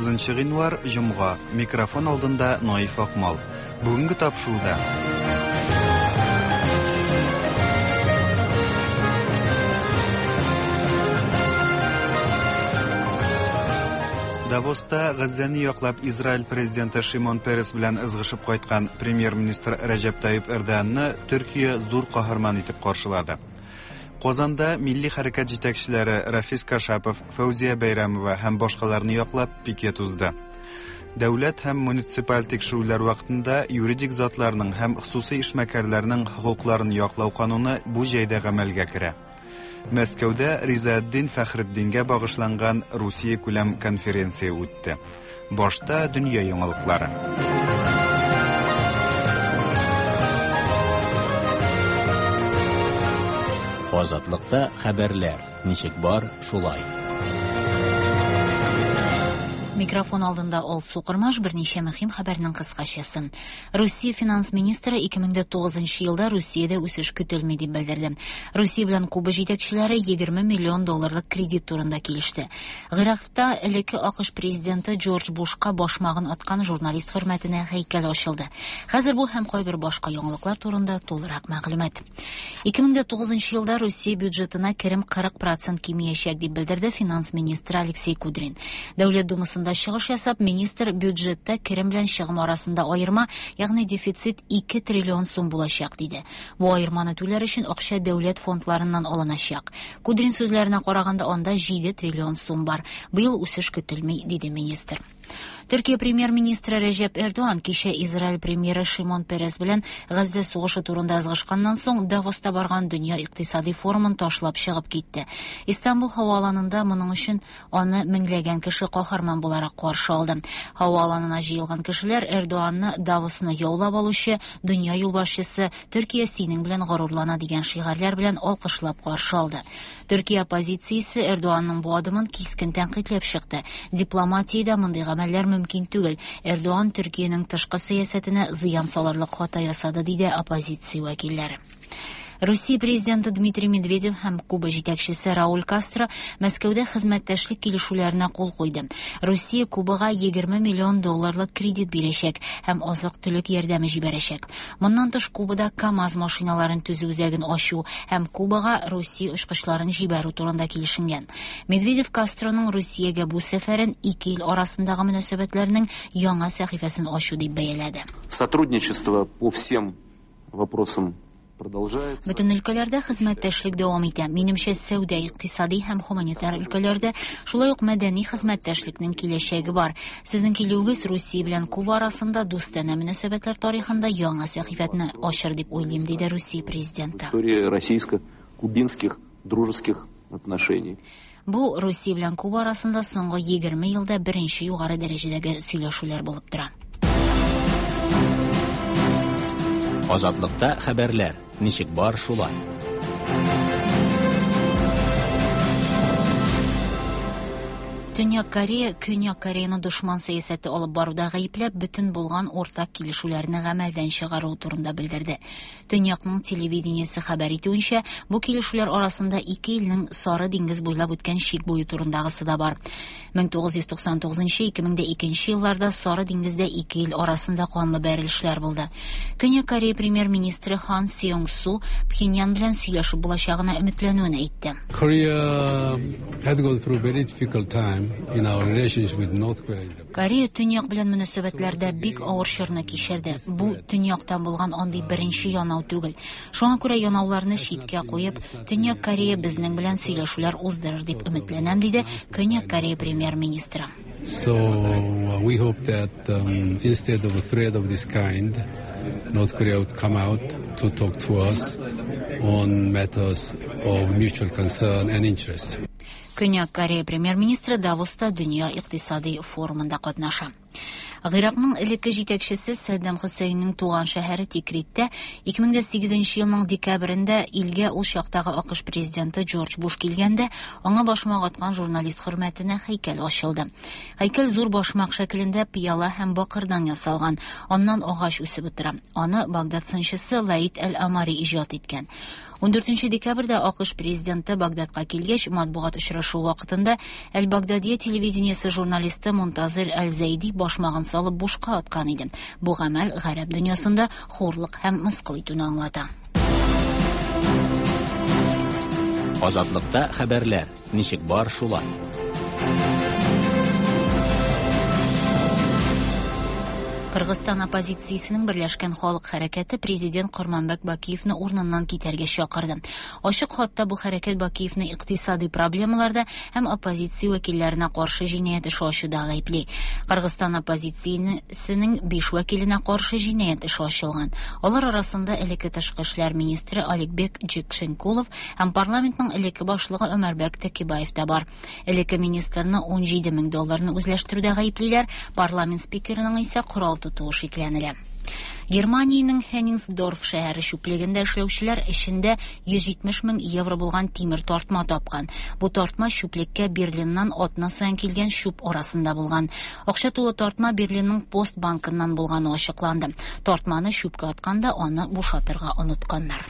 30 гыйнвар, җомга. Микрофон алдында Наиф Акмал. Бүгенге тапшыруда Давоста Газзәне яклап Израиль президенты Шимон Перес белән ызгышып кайткан премьер-министр Рәҗәп Тайип Эрдоганны Төркия зур каһарман итеп каршылады. Казанда милли хәрәкәт җитәкчеләре Рафис Кашапов, Фәүзия Бәйрәмова һәм башкаларны яклап пикет узды. Дәүләт һәм муниципаль тикшерүләр вакытында юридик затларның һәм хосусый эшмәкәрләрнең хокукларын яклау кануны бу җәйдә гамәлгә керә. Мәскәүдә Ризаэтдин Фәхретдингә багышланган Русия күләм конференция үтте. Башта дөнья яңалыклары. Азатлыкта хәбәрләр ничек бар, шулай. Микрофон алдында Алсу Кормаш берничә мөһим хәбәрнең кыскачасы. Русия финанс министры 2009 елда Русиядә үсеш көтелми дип белдерде. Русия белән Куба җитәкчеләре 20 миллион долларлык кредит турында килеште. Гыйракта элекке АКШ президенты Джордж Бушка башмагын аткан журналист хөрмәтенә һәйкәл ачылды. Хәзер бу һәм кайбер башка яңалыклар турында тулырак мәгълүмат. 2009 елда Русия бюджетына керем 40% кимиячәк дип белдерде финанс министры Алексей Кудрин. Дәүләт Думасында чыгыш ясап, министр бюджетта керем белән чыгым арасында аерма, ягъни дефицит 2 триллион сум булачак диде. Бу аерманы түләр өчен акча дәүләт фондларыннан алыначак. Кудрин сүзләренә караганда, анда 7 триллион сум бар. Быел үсеш көтелми, диде министр. Төркия премьер-министры Рәҗәп Эрдоган кичә Израиль премьеры Шимон Перес белән Газзә сугышы турында ызгышканнан соң Давоста барган дөнья икътисади форумын ташлап чыгып китте. Истанбул һава аланында моның өчен аны меңләгән кеше каһарман буларак каршы алды. Һава аланына җыелган кешеләр Эрдоганны Давосны яулап алучы дөнья юлбашчысы Төркия синең белән горурлана дигән шигарьләр белән алкышлап каршы алды. Төркия оппозициясе Эрдоганның бу адымын кискен тәнкыйтьләп чыкты. Дипломатиядә мондый гамәлләр мөмкин түгел. Эрдоган Төркиянең тышкы сәясәтенә зыян салырлык хата ясады, диде оппозиция вәкилләре. Русия президенты Дмитрий Медведев һәм Куба җитәкчесе Рауль Кастро Мәскәүдә хезмәттәшлек килешүләренә кул куйды. Русия Кубага 20 миллион долларлык кредит бирәчәк һәм азык-төлек ярдәме җибәрәчәк. Моннан тыш Кубада КАМАЗ машиналарын төзү үзәген ачу һәм Кубага Русия очкычларын җибәрү турында килешенгән. Медведев Кастроның Русиягә бу сәфәрен ике ил арасындагы мөнәсәбәтләрнең яңа сәхифәсен ачу дип бәяләде. Сотрудничество по всем вопросам продолжается. Бөтен өлкәләрдә хезмәттәшлек дәвам итә. Минемчә, сәүдә, икътисади һәм гуманитар өлкәләрдә, шулай ук мәдәни хезмәттәшлекнең киләчәге бар. Сезнең килүегез Русия белән Куба арасында дустанә мөнәсәбәтләр тарихында яңа сәхифәне ачыр дип уйлыйм, диде Русия президенты. История российско-кубинских дружеских отношений. Бу Русия белән Куба арасында соңгы 20 елда беренче югары дәрәҗәдәге сөйләшүләр булып тора. Азатлыкта хәбәрләр ничек бар, шулай. Төньяк Корея Көньяк Кореяны дошман сәясәте алып баруда гаепләп, бөтен булган уртак килешүләрне гамәлдән чыгару турында белдерде. Төньякның телевидениесе хәбәр итүенчә, бу килешүләр арасында ике илнең Сары диңгез буйлап үткән чик буе турындагысы да бар. 1999-2002 елларда Сары диңгездә ике ил арасында канлы бәрелешләр булды. Көньяк Корея премьер-министры Хан Сеung Су Пхеньян белән сөйләшеп булачагына өметләнүен әйтте. Korea had gone through very difficult time in our relations with North Korea. Корея Төньяк белән мөнәсәбәтләрдә бик авыр чорны кичерде. Бу Төньяктан булган андый беренче янау түгел. Шуңа күрә янауларны читкә куеп, Төньяк Корея безнең белән сөйләшүләр уздырыр дип өметләнәм, диде Көньяк Корея премьер-министры. So we hope that instead of a threat of this kind, North Korea would come out to talk to us on matters of mutual concern and interest. Көньяк Корея премьер-министры Давоста дөнья икътисади форумында катнаша. Гыйракның элекке җитәкчесе Сәддам Хөсәйннең туган шәһәре Тикриттә 2008 елның декабрендә илгә ул чактагы АКШ президенты Джордж Буш килгәндә, аңа башмак аткан журналист хөрмәтенә һәйкәл ачылды. Һәйкәл зур башмак шәкелендә пыяла һәм бакырдан ясалган. Аннан агач үсеп утыра. Аны Багдад сынчысы Лаид әл-Амари иҗат иткән. 14 декабрьдә АКШ президенты Багдадка килгәч, матбугат очрашуы вакытында Әл-Багдадия телевидениесе журналисты Мунтазир Әл-Зәйди башмагын салып бушка аткан иде. Бу гамәл гарәп дөньясында хурлык һәм мыскыл итүне аңлата. Азатлыкта хәбәрләр ничек бар шулай. Кыргызстан оппозициясенең Берләшкән халык хәрәкәте президент Корманбек Бакиевны урыныннан китәргә чакырды. Ачык хатта бу хәрәкәт Бакиевны икътисади проблемаларда һәм оппозиция вәкилләренә каршы җинаять эше ачуда гаепли. Кыргызстан оппозициясенең 5 вәкиленә каршы җинаять эше ачылган. Алар арасында элекке тышкы эшләр министры Аликбек Джекшенкулов һәм парламентның элекке башлыгы Өмәрбәк Текебаев та бар. Элекке министрны 17 мең долларны үзләштерүдә гаеплиләр, парламент спикерының исә корал тотуы шикләнелә. Германиянең Хенниngsdorf шәһәре чүплегендә эшләүчеләр эчендә 170 мең евро булган тимер тартма тапкан. Бу тартма чүплеккә Берлиннан атна саен килгән чүп арасында булган. Акча тулы тартма Берлинның Пост банкыннан булганы ачыкланды. Тартманы чүпкә атканда аны бушатырга онытканнар.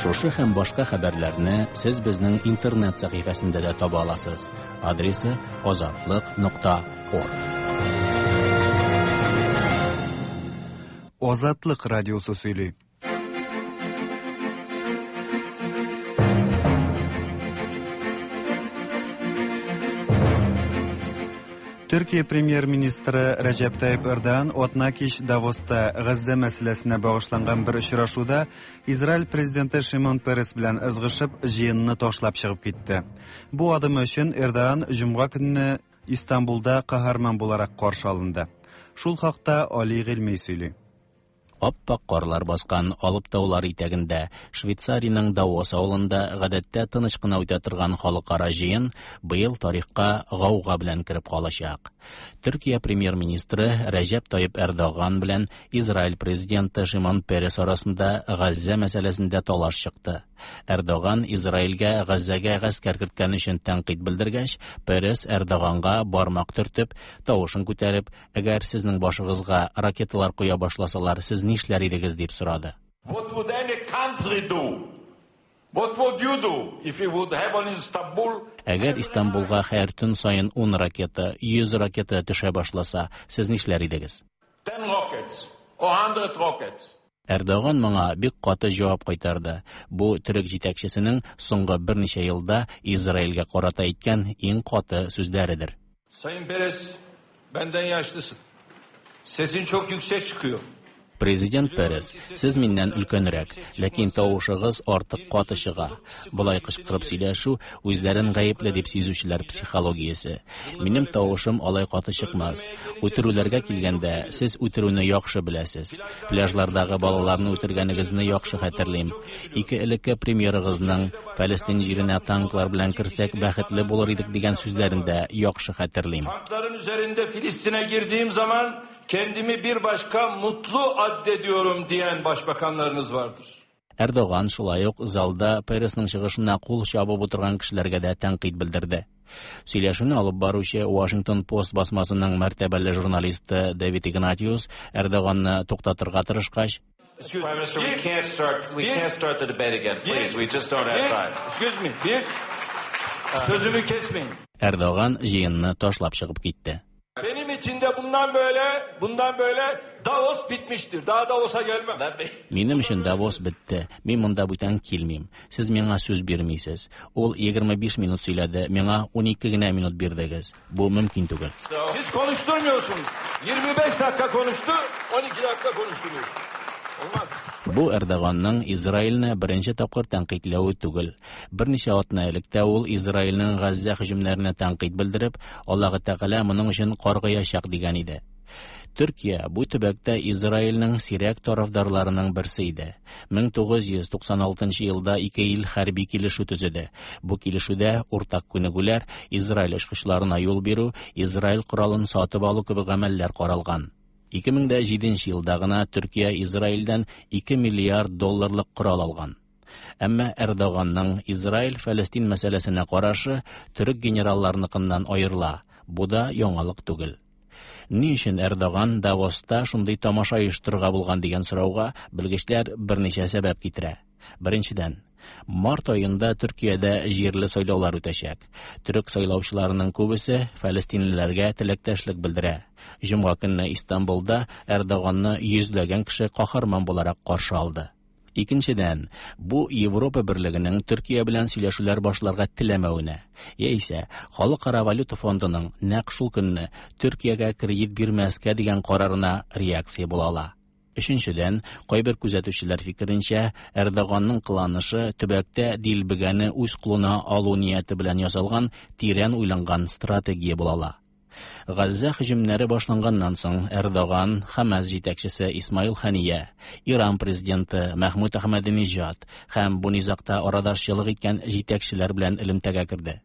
Шушы һәм башка хәбәрләрне сез безнең интернет сәхифәсендә дә таба аласыз. Адресы azatliq.org. Азатлык радиосы сөйли. Төркия премьер-министры Рәҗәп Тайип Эрдоган атна кич Давоста Газзә мәсьәләсенә багышланган бер очрашуда Израиль президенты Шимон Перес белән ызгышып, җыенны ташлап чыгып китте. Бу адымы өчен Эрдоган җомга көнне Истанбулда каһарман буларак каршы алынды. Шул хакта Али Гыйльми сөйли. Аппак карлар баскан Алып таулар итәгендә Швейцариянең Давос авылында гадәттә тыныч кына үтә торган халыкара җыен быел тарихка гауга белән кереп калачак. Төркия премьер-министры Рәҗәп Тайип Эрдоган белән Израиль президенты Шимон Перес арасында Газзә мәсьәләсендә талаш чыкты. Эрдоган Израильгә Газзәгә гаскәр керткән өчен тәнкыйть белдергәч, Перес Эрдоганга бармак төртеп, тавышын күтәреп, әгәр сезнең башыгызга ракеталар коя башласалар, сез нишләр идегез дип сорады. What would any country do? What would you do if you would have on Istanbul? Әгәр Истанбулга һәр төн саен 10 ракета, 100 ракета төшә башласа, сез нишләр идегез? 10 rockets or 100 rockets. Эрдоган моңа бик каты җавап кайтарды. Бу төрек җитәкчесенең соңгы берничә елда Израильгә карата әйткән иң каты сүзләредер. Sayın Peres, benden yaşlısın. Sesin çok yüksek çıkıyor. Президент Перес, сез миннән өлкәнрәк, ләкин тавышыгыз артык каты чыга. Болай кычкырып сөйләшү үзләрен гаепле дип сизүчеләр психологиясе. Минем тавышым алай каты чыкмас. Үтерүләргә килгәндә, сез үтерүне яхшы беләсез. Пляжлардагы балаларны үтергәнегезне яхшы хәтерлим. Ике элекке премьерыгызның Фәлестин җиренә танклар белән керсәк бәхетле булыр идек дигән сүзләрен дә яхшы хәтерлим. Tankların üzerinde Filistin'e girdiğim zaman kendimi bir başka mutlu addediyorum diyen başbakanlarınız vardır. Эрдоган шулай ук залда Пересның чыгышына кул чабып утырган кешеләргә дә тәнкыйть белдерде. Сөйләшүне алып баручы Washington Post басмасының мәртәбәле журналисты Дэвид Игнатиус Эрдоганны туктатырга тырышкач, Excuse Prime me. Minister, we Bir- can't start. We bir- can't start the debate again, please. bir- We just don't have bir- time. Excuse me. Bir sözümü kesmeyin. Эрдоган җыенны ташлап чыгып китте. Benim için de bundan böyle, bundan böyle Davos bitmiştir. Daha Davos'a gelmem. Минем өчен Давос бетте. Мин монда бүтән килмим. Сез миңа сүз бирмисез. Ул 25 минут сөйләде, миңа 12 генә минут бирдегез. Бу мөмкин түгел. Siz konuşturmuyorsunuz. 25 dakika konuştu, 12 dakika konuşturuyorsunuz. Olmaz. Бу Эрдоганның Израильне беренче тапкыр тәнкыйтьләве түгел. Берничә атна элек тә ул Израильнең Газзә һөҗүмнәренә тәнкыйть белдереп, Аллаһы Тәгалә моның өчен каргыячак дигән иде. Төркия бу төбәктә Израильнең сирәк тарафдарларының берсе иде. 1996 елда ике ил хәрби килешү төзеде. Бу килешүдә уртак күнегүләр, Израиль очкычларына юл бирү, Израиль коралын сатып алу кебек гамәлләр каралган. 2007 елда гына Төркия Израильдән 2 миллиард долларлык корал алган. Әмма Эрдоганның Израиль-Фәлестин мәсьәләсенә карашы төрек генералларыныкыннан аерыла. Бу да яңалык түгел. Ни өчен Эрдоган Давоста шундый тамаша оештырырга булган дигән сорауга белгечләр берничә сәбәп китерә. Беренчедән, март аенда Төркиядә җирле сайлаулар үтәчәк. Төрек сайлаучыларының күбесе фәлестинлеләргә теләктәшлек белдерә. Җомга көнне Истанбулда Эрдоганны йөзләгән кеше каһарман буларак каршы алды. Икенчедән, бу Европа берлегенең Төркия белән сөйләшүләр башларга теләмәвенә, яисә Халыкара валюта фондының нәкъ шул көнне Төркиягә кредит бирмәскә дигән карарына реакция була ала. Өченчедән, кайбер күзәтүчеләр фикеренчә, Эрдоганның кыланышы төбәктә дилбегәне үз кулына алу нияте белән ясалган тирән уйланган стратегия була ала. Газзә һөҗүмнәре башланганнан соң Эрдоган, Хамас җитәкчесе Исмаил Хания, Иран президенты Мәхмүд Әхмәдинежад һәм бу низагта арадашчылык иткән җитәкчеләр белән элемтәгә керде.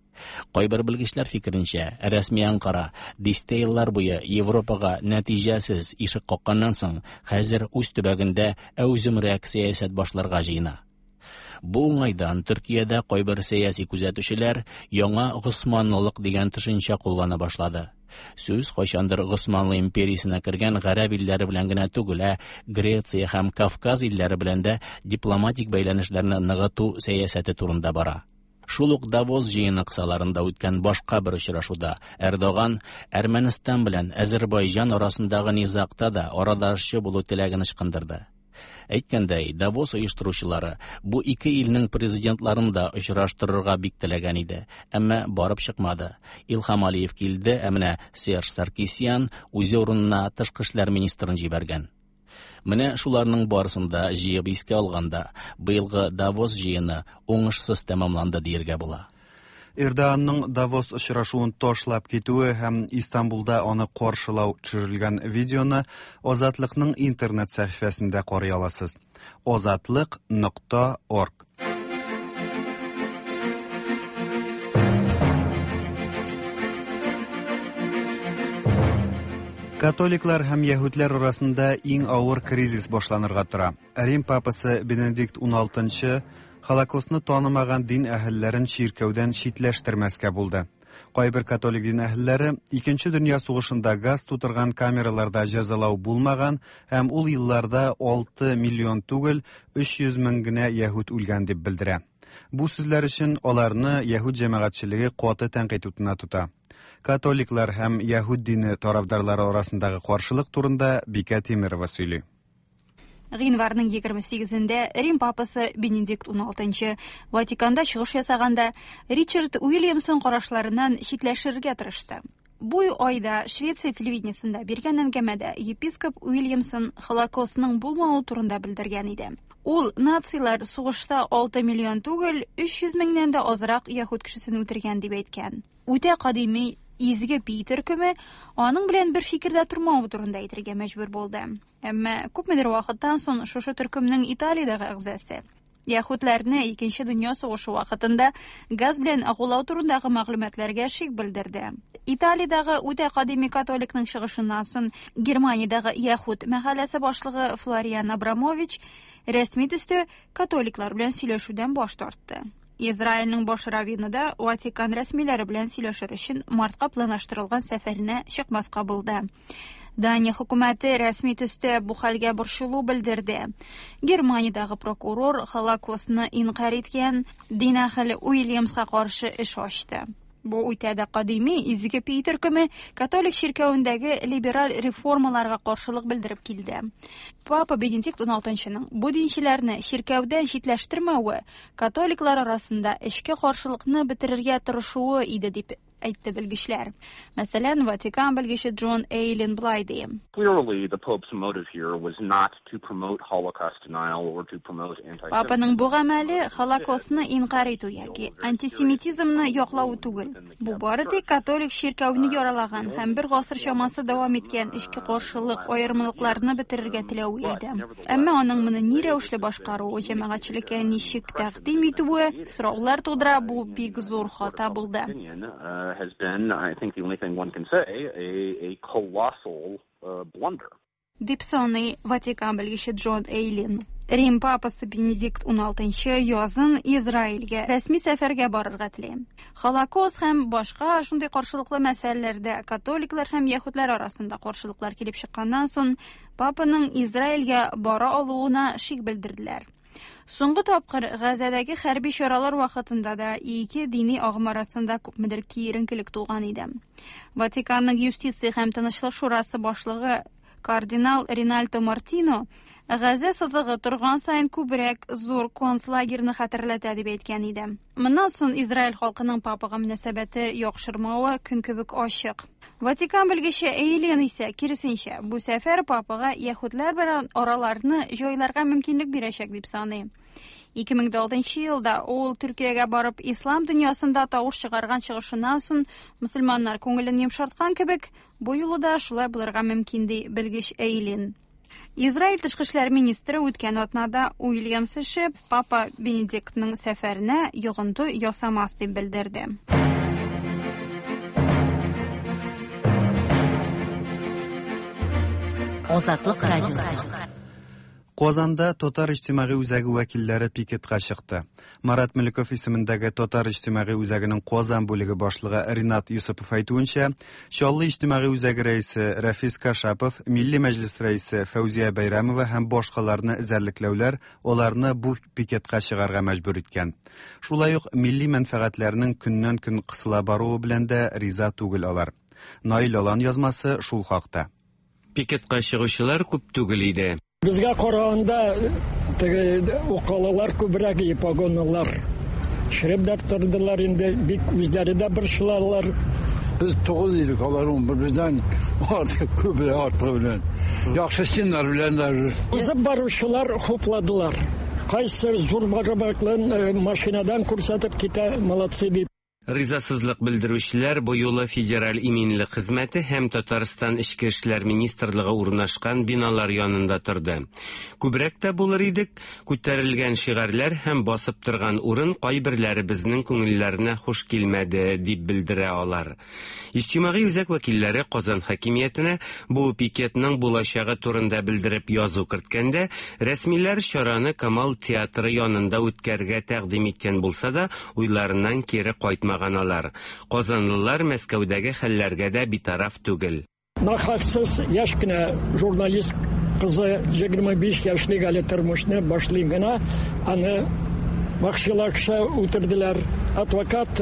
Кайбер белгечләр фикеренчә, рәсми Анкара дистә еллар буе Европага нәтиҗәсез ишек какканнан соң, хәзер үз төбәгендә әүземрәк сәясәт башларга җыена. Бу уңайдан Төркиядә кайбер сәяси күзәтүчеләр яңа Госманлылык дигән төшенчә куллана башлады. Сүз кайчандыр Госманлы империясенә кергән гарәп илләре белән генә түгел, ә Греция һәм Кавказ илләре белән дә дипломатик бәйләнешләрне ныгыту сәясәте турында бара. Шул ук Давос җыены кысаларында үткән башка бер очрашуда Эрдоган Әрмәнстан белән Әзербайҗан арасындагы низагта да арадашчы булу теләген ычкындырды. Әйткәндәй, Давос оештыручылары бу ике илнең президентларын да очраштырырга бик теләгән иде, әмма барып чыкмады. Илһам Алиев килде, ә менә Серж Саркисян үзе урынына тышкы эшләр министрын җибәргән. Менә шуларның барысын да җыеп искә алганда, быелгы Давос җыены уңышсыз тәмамланды диергә була. Эрдоганның Давос очрашуын ташлап китүе һәм Истанбулда аны каршылау төшерелгән видеоны Азатлыкның интернет сәхифәсендә карый аласыз. Азатлык.орг. Католиклар һәм яһүдләр арасында иң авыр кризис башланырга тора. Рим папасы Бенедикт XVI Холокостны танымаган дин әһелләрен чиркәүдән читләштермәскә булды. Кайбер католик дин әһелләре Икенче дөнья сугышында газ тутырган камераларда җәзалау булмаган һәм ул елларда 6 миллион түгел, 300 мең генә яһүд үлгән дип белдерә. Бу сүзләр өчен аларны яһүд җәмәгатьчелеге каты тәнкыйть утына тота. Католиклар һәм яһүд дине тарафдарлары арасындагы каршылык турында Бикә Тимерова сөйли. Гыйнварның 28-ндә Рим папасы Бенедикт XVI Ватиканда чыгыш ясаганда Ричард Уильямсон карашларыннан читләшергә тырышты. Бу айда Швеция телевидениесендә биргән әңгәмәдә епископ Уильямсон Холокостның булмавы турында белдергән иде. Ул нацилар сугышта 6 миллион түгел, 300 меңнән дә азрак яһүд кешесен үтергән дип әйткән. Үтә кадими изге Пи төркеме аның белән бер фикердә тормавы турында әйтергә мәҗбүр булды. Әмма күпмедер вакыттан соң шушы төркемнең Италиядәге әгъзасы яһүдләрне Икенче дөнья сугышы вакытында газ белән агулау турындагы мәгълүматларга шик белдерде. Италиядәге үтә кадими католикның чыгышыннан соң Германиядәге яһүд мәхәлләсе башлыгы Флориан Абрамович рәсми төстә католиклар белән сөйләшүдән баш тартты. Израильнең баш раввины да Ватикан рәсмиләре белән сөйләшер өчен мартка планлаштырылган сәфәренә чыкмаска булды. Дания хөкүмәте рәсми төстә бу хәлгә борчылу белдерде. Германиядәге прокурор Холокостны инкарь иткән дин әһеле Уильямска каршы эш ачты. Бу үтә дә кадими изге Пи төркеме католик чиркәвендәге либераль реформаларга каршылык белдереп килде. Папа Бенедикт XVI-ның бу динчеләрне чиркәүдән читләштермәве католиклар арасында эчке каршылыкны бетерергә тырышуы иде дип әйтте белгечләр. Мәсәлән, Ватикан белгече Джон Эйлин болай ди. Clearly, the Pope's motive here was not to promote Holocaust denial or to promote anti Папаның бу гамәле Холокостны инкарь итү яки антисемитизмны яклау түгел. Бу бары тик католик чиркәүне яралаган һәм бер гасыр чамасы дәвам иткән эчке каршылык, аермалыкларны бетерергә теләве иде. Әмма аның моны ни рәвешле башкаруы, җәмәгатьчелеккә ничек тәкъдим итүе сораулар тудыра, бу бик зур хата булды. Has been, I think the only thing one can say, a colossal blunder. Дип саный Ватикан белгече Джон Эйлин. Рим папасы Бенедикт XVI язын Израильгә рәсми сәфәргә барырга тели. Холокост һәм башка шундый каршылыклы мәсьәләләрдә католиклар һәм яһүдләр арасында каршылыклар килеп чыкканнан соң папаның Израильгә бара алуына шик белдерделәр. Соңгы тапкыр Газәдәге хәрби чаралар вакытында да ике дини агым арасында күпмедер киеренкелек туган иде. Ватиканның юстиция һәм тынычлык шурасы башлыгы кардинал Ринальдо Мартино Газә сызыгы торган саен күбрәк зур концлагерны хәтерләтә дип әйткән иде. Моннан соң Израиль халкының папага мөнәсәбәте яхшырмавы көн кебек ачык. Ватикан белгече Эйлин исә киресенчә, бу сәфәр папага яһүдләр белән араларны җайларга мөмкинлек бирәчәк дип саный. 2006 елда ул Төркиягә барып ислам дөньясында тавыш чыгарган чыгышыннан соң мөселманнар күңелен йомшарткан кебек, бу юлы да шулай булырга мөмкин ди белгеч Эйлин. Израиль тышкы эшләр министры үткән атнада Уильямс эше Папа Бенедиктның сәфәренә йогынты ясамас дип белдерде. Азатлык радиосы. Казанда Татар иҗтимагый үзәге вәкилләре пикетка чыкты. Марат Мөлеков исемендәге Татар иҗтимагый үзәгенең Казан бүлеге башлыгы Ринат Юсупов әйтүенчә, Чаллы иҗтимагый үзәге рәисе Рафис Кашапов, Милли мәҗлес рәисе Фәүзия Бәйрәмова һәм башкаларны эзәрлекләүләр аларны бу пикетка чыгарга мәҗбүр иткән. Шулай ук милли мәнфәгатьләрнең көннән-көн кысыла баруы белән дә риза түгел алар. Наил Алан язмасы шул хакта. Пикетка чыгучылар күп түгел иде. Безгә караганда теге укалалар күбрәк и погонлылар. Шереп дә тордылар инде, бик үзләре дә борчылалар. Без 9 идек, алар 11 бездән артык күбрәк артыгы белән. Яхшы стеннар белән даже. Узып баручылар хупладылар. Кайсы зур бармаклын машинадан күрсәтеп китә, молодцы дип. Ризасызлык белдерүчеләр бу юлы Федераль иминлек хезмәте һәм Татарстан Эчке эшләр министрлыгы урнашкан биналар янында торды. Күбрәк тә булыр идек, күтәрелгән шигарьләр һәм басып торган урын кайберләребезнең күңелләренә хуш килмәде, дип белдерә алар. Иҗтимагый үзәк вәкилләре Казан хакимиятенә бу пикетның булачагы турында белдереп язу керткәндә, рәсмиләр чараны Камал театры янында үткәрергә тәкъдим иткән булса да, уйларыннан кире кайтмаган алар. Казанлылар Мәскәүдәге хәлләргә дә битараф түгел. Нахаксыз яшь кенә журналист кызы 25 яшьлек әле тормышны башлый гына, аны вакчылакша үтерделәр. Адвокат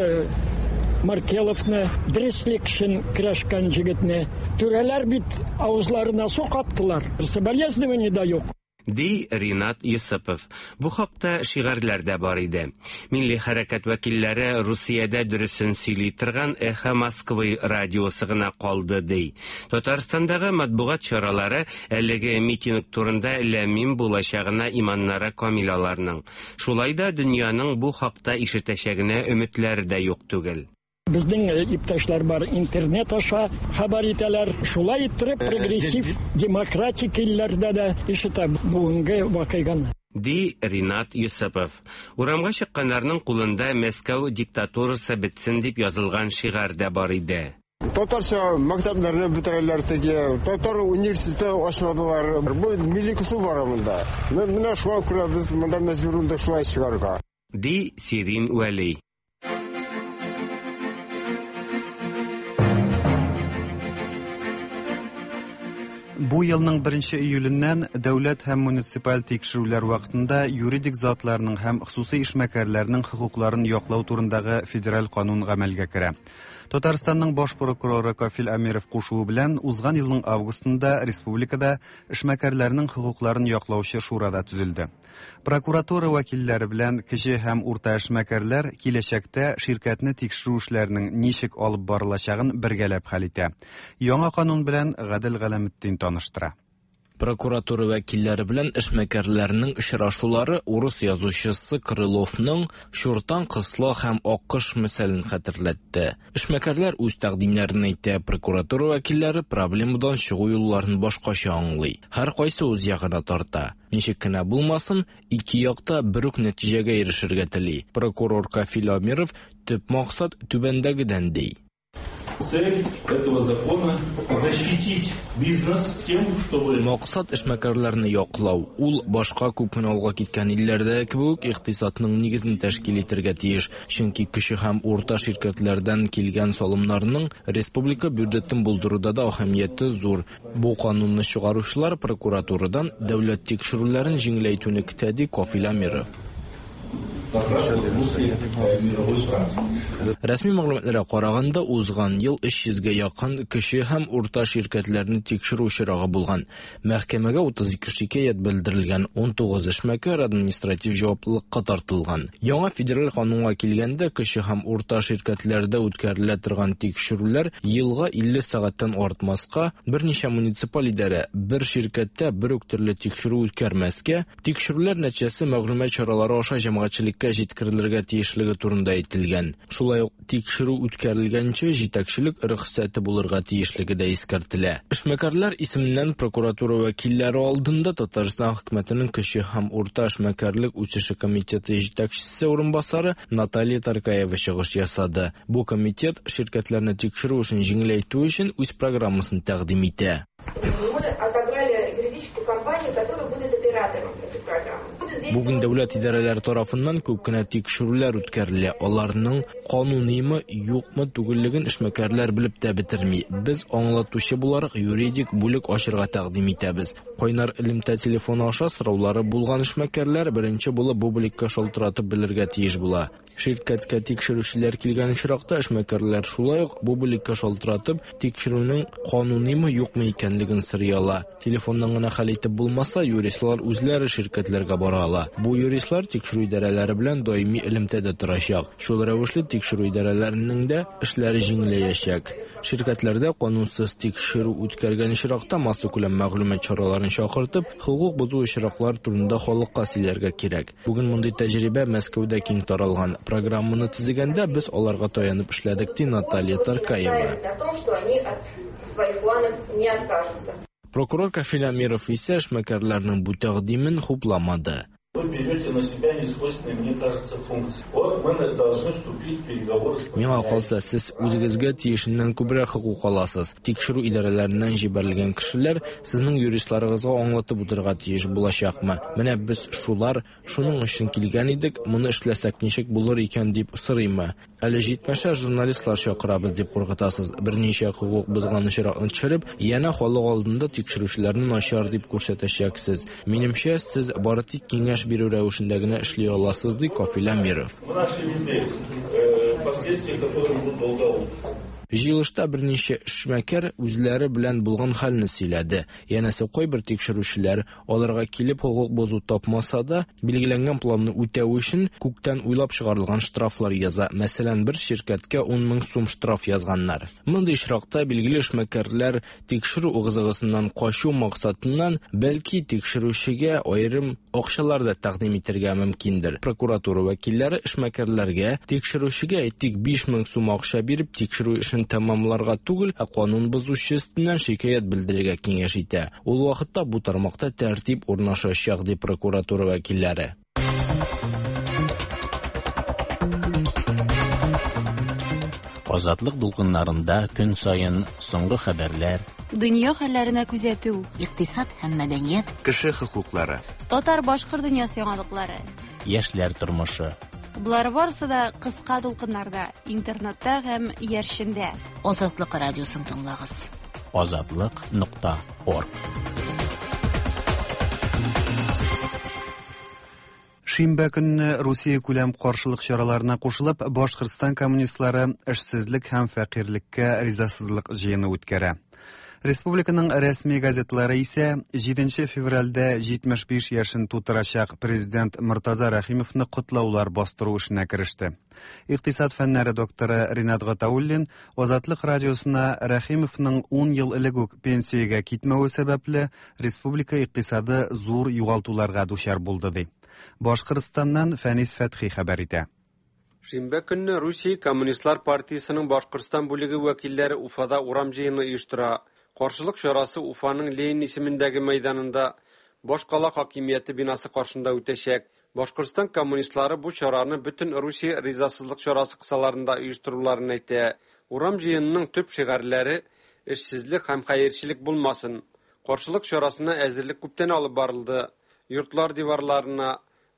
Маркеловны, дөреслек өчен көрәшкән җегетне түрәләр бит авызларына су каптылар. Соболезнования да юк. Ди Ринат Юсупов. Бу хакта шигарьләр дә бар иде. Милли хәрәкәт вәкилләре Русиядә дөресен сөйли торган Эхо Москвы радиосы гына калды ди. Татарстандагы матбугат чаралары әлеге митинг турында ләмим булачагына иманнары камил аларның. Шулай да дөньяның бу хакта ишетәчәгенә өметләре дә юк түгел. Безнең иптәшләр бар, интернет аша хәбәр итәләр. Шулай иттереп прогрессив демократик илләрдә дә ишетә бүгенге вакыйганы. Ди Ринат Юсупов. Урамга чыкканнарның кулында Мәскәү диктатурасы бетсен дип язылган шигарь дә бар иде. Татарча мәктәпләрне бетерәләр теге, татар университеты ачмадылар. Бу милли кысу бар монда. Менә шуңа күрә без монда мәҗбүр булдык шулай чыгарга. Ди Сирин Вәли. Бу елның 1 июленнән дәүләт һәм муниципаль тикшерүләр вакытында юридик затларның һәм хосусый эшмәкәрләрнең хокукларын яклау турындагы федераль канун гамәлгә керә. Татарстанның баш прокуроры Кафил Әмиров кушуы белән узган елның августында республикада эшмәкәрләрнең хокукларын яклаучы шура да төзелде. Прокуратура вәкилләре белән кече һәм урта эшмәкәрләр киләчәктә ширкәтне тикшерү эшләренең ничек алып барылачагын бергәләп хәл итә. Яңа канун белән Гадел Галәметдин таныштыра. Прокуратура вәкилләре белән эшмәкәрләрнең очрашулары урыс язучысы Крыловның Чуртан кысла һәм Аккош мисалын хәтерләтте. Эшмәкәрләр үз тәкъдимнәрен әйтә, прокуратура вәкилләре проблемадан чыгу юлларын башкача аңлый. Һәркайсы үз ягына тарта. Ничек кенә булмасын, ике як та бер үк нәтиҗәгә ирешергә тели. Прокурор Кафил Амиров төп максат түбәндәгедән ди. Цель этого закона – защитить бизнес тем, чтобы... Максат эшмәкәрләрне яклау. Ул башка күп кенә алга киткән илләрдәге кебек үк икътисадның нигезен тәшкил итәргә тиеш. Чөнки кече һәм урта ширкәтләрдән килгән салымнарның республика бюджетын булдыруда да әһәмияте зур. Бу канунны чыгаручылар прокуратурадан дәүләт тикшерүләрен җиңеләйтүне көтә, ди Кафил Әмиров. Как раз вот в русле мировой практики. Рәсми мәгълүматларга караганда, узган ел 300 гә якын кече һәм урта ширкәтләрне тикшерү очрагы булган. Мәхкәмәгә 32 шикаять белдерелгән, 19 эшмәкәр административ җаваплылыкка тартылган. Яңа федераль канунга килгәндә, кече һәм урта ширкәтләрдә үткәрелә торган тикшерүләр елга 50 сәгатьтән артмаска, берничә муниципаль идарә бер ширкәттә бер үк төрле тикшерү үткәрмәскә, тикшерүләр нәтиҗәсе мәгълүмат чаралары аша җәмәгатьчелеккә җиткерелергә тиешлеге турында әйтелгән. Шулай ук тикшерү үткәрелгәнче җитәкчелек рөхсәте булырга тиешлеге дә искәртелә. Эшмәкәрләр исеменнән прокуратура вәкилләре алдында Татарстан хөкүмәтенең кече һәм урта эшмәкәрлек үсеше комитеты җитәкчесе урынбасары Наталья Таркаева чыгыш ясады. Бу комитет ширкәтләрне тикшерү эшен җиңеләйтү өчен үз программасын тәкъдим итә. Мы отобрали юридическую компанию, которая будет оператором этой программы. Бүген дәүләт идарәләре тарафыннан күп кенә тикшерүләр үткәрелә. Аларның кануныймы, юкмы түгеллеген эшмәкәрләр белеп тә бетерми. Без аңлатучы буларак юридик бүлек ачырга тәкъдим итәбез. Кайнар элемтә телефоны аша сораулары булган эшмәкәрләр беренче булып бу бүлеккә шалтыратып белергә тиеш була. Ширкәткә тикшерүчеләр килгән очракта эшмәкәрләр шулай ук бу бүлеккә шалтыратып, тикшерүнең кануныймы, юкмы икәнлеген сорый ала. Телефоннан гына хәл итеп булмаса, юристлар үзләре ширкәтләргә бара ала. Бу юристлар тикшерү идарәләре белән даими элемтәдә торачак. Шул рәвешле тикшерү идарәләренең дә эшләре җиңеләячәк. Ширкәтләрдә канунсыз тикшерү үткәргән очракта массакүләм мәгълүмат чараларын чакыртып, хокук бозу очраклары турында халыкка сөйләргә кирәк. Бүген мондый тәҗрибә Мәскәүдә киң таралган. Программаны төзегәндә без аларга таянып эшләдек, ди Наталья Таркаева. О том, что они от своих планов не откажутся. Прокурор Кафил Әмиров исә эшмәкәрләрнең бу тәкъдимен хупламады. Вы берете на себя несвойственные, мне кажется, функции. Вот мы должны вступить в переговоры с Миңа калса, сез үзегезгә тиешеннән күбрәк хокук аласыз. Тикшерү идарәләреннән җибәрелгән кешеләр сезнең юристларыгызга аңлатып утырырга тиеш булачакмы? Менә без шулар, шуның өчен килгән идек, моны эшләсәк ничек булыр икән дип сорыймы? Әле җитмәсә журналистлар чакырабыз дип куркытасыз. Берничә хокук бозган очракны төшереп, янә халык алдында тикшерүчеләрне начар дип күрсәтәчәксез. Минемчә, сез бары тик киңәш бирү рәвешендә генә эшли аласыз, ди Кафил Әмиров. Мы нашли людей, последствия которых будут долго аукаться. Җыелышта берничә эшмәкәр үзләре белән булган хәлне сөйләде. Янәсе кайбер тикшерүчеләр аларга килеп хокук бозу тапмаса да, билгеләнгән планны үтәү өчен күктән уйлап чыгарылган штрафлар яза. Мәсәлән, бер ширкәткә ун мең сум штраф язганнар. Мондый очракта билгеле эшмәкәрләр тикшерү ыгы-зыгысыннан качу максатыннан бәлки тикшерүчегә аерым акчалар да тәкъдим итәргә мөмкиндер. Прокуратура вәкилләре эшмәкәрләргә тикшерүчегә әйтик биш мең сум акча биреп тикшерү эшен тәмамларга түгел, ә канун бозучы өстеннән шикаять белдерергә киңәш итә. Ул вакытта бу тармакта тәртип урнашачак, ди прокуратура вәкилләре. Азатлык дулкыннарында көн саен соңгы хәбәрләр, дөнья хәлләренә күзәтү, икътисад һәм мәдәният, кеше хокуклары, татар-башкорт дөньясы яңалыклары, яшьләр тормышы. Болар барысы да кыска дулкыннарда, интернетта һәм иярчендә. Азатлык радиосын тыңлагыз. Азатлык нокта орг. Шимбә көнне Русия күләм каршылык чараларына кушылып, Башкортстан коммунистлары эшсезлек һәм фәкыйрьлеккә ризасызлык җыены үткәрә. Республиканың рәсми газетлары исә 7 февральдә 75 яшен тутырачак президент Мортаза Рәхимовны котлаулар бастыру эшенә кереште. Икътисад фәннәре докторы Ринат Гатауллин Азатлык радиосына Рәхимовның 10 ел элек үк пенсиягә китмәве сәбәпле республика икътисады зур югалтуларга дучар булды ди. Башкортстаннан Фәнис Фәтхи хәбәр итә. Шимбә көнне Русия Коммунистлар партиясенең Башкортстан бүлеге вәкилләре Уфада урам җыены оештыра. Каршылык чарасы Уфаның Ленин исемендәге мәйданында башкала хакимияте бинасы каршында үтәчәк. Башкортстан коммунистлары бу чараны бөтен Русия ризасызлык чарасы кысаларында оештыруларын әйтә. Урам җыенының төп шигарьләре эшсезлек һәм хәерчелек булмасын. Каршылык чарасына әзерлек күптән алып барылды. Йортлар диварларына,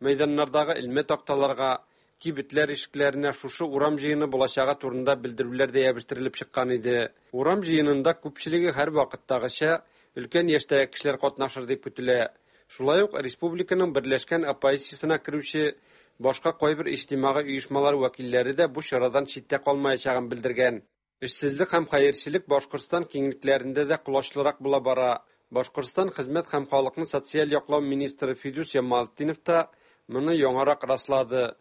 мәйданнардагы элмә такталарга, кибетләр ишекләренә шушы урам җыены булачагы турында белдерүләр дә ябештерелеп чыккан иде. Урам җыенында күпчелеге һәрвакыттагыча өлкән яшьтәге кешеләр катнашыр дип көтелә. Шулай ук республиканың берләшкән оппозициясенә керүче башка кайбер иҗтимагый оешмалар вәкилләре дә бу чарадан читтә калмаячагын белдергән. Эшсезлек һәм хәерчелек Башкортстан киңлекләрендә дә колачлырак була бара. Башкортстан хезмәт һәм халыкны социаль яклау министры Фидус Ямалтдинов та моны яңарак раслады.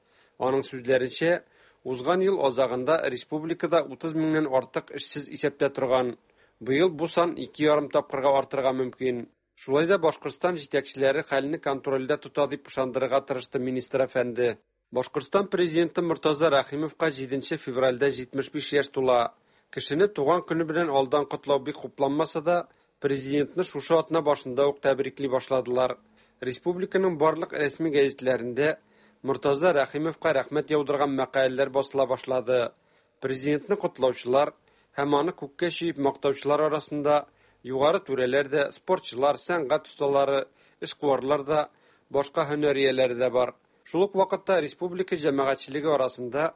Аның сүзләренчә, узган ел азагында республикада 30 меңнән артык эшсез исәптә торган. Быел бу сан 2,5 тапкырга артырга мөмкин. Шулай да Башкортстан җитәкчеләре хәлне контрольдә тота дип ышандырырга тырышты министр әфәнде. Башкортстан президенты Мортаза Рәхимовка 7 февральдә 75 яшь тула. Кешене туган көне белән алдан котлау бик хупланмаса да, президентны шушы атна башында ук тәбрикли башладылар. Республиканың барлык рәсми гәзитләрендә Мортаза Рәхимовка рәхмәт яудырган мәкаләләр басыла башлады. Президентны котлаучылар һәм аны күккә чөеп мактаучылар арасында югары түрәләр дә, спортчылар, сәнгать осталары, эшкуарлар да, башка һөнәр ияләре дә бар. Шул ук вакытта республика җәмәгатьчелеге арасында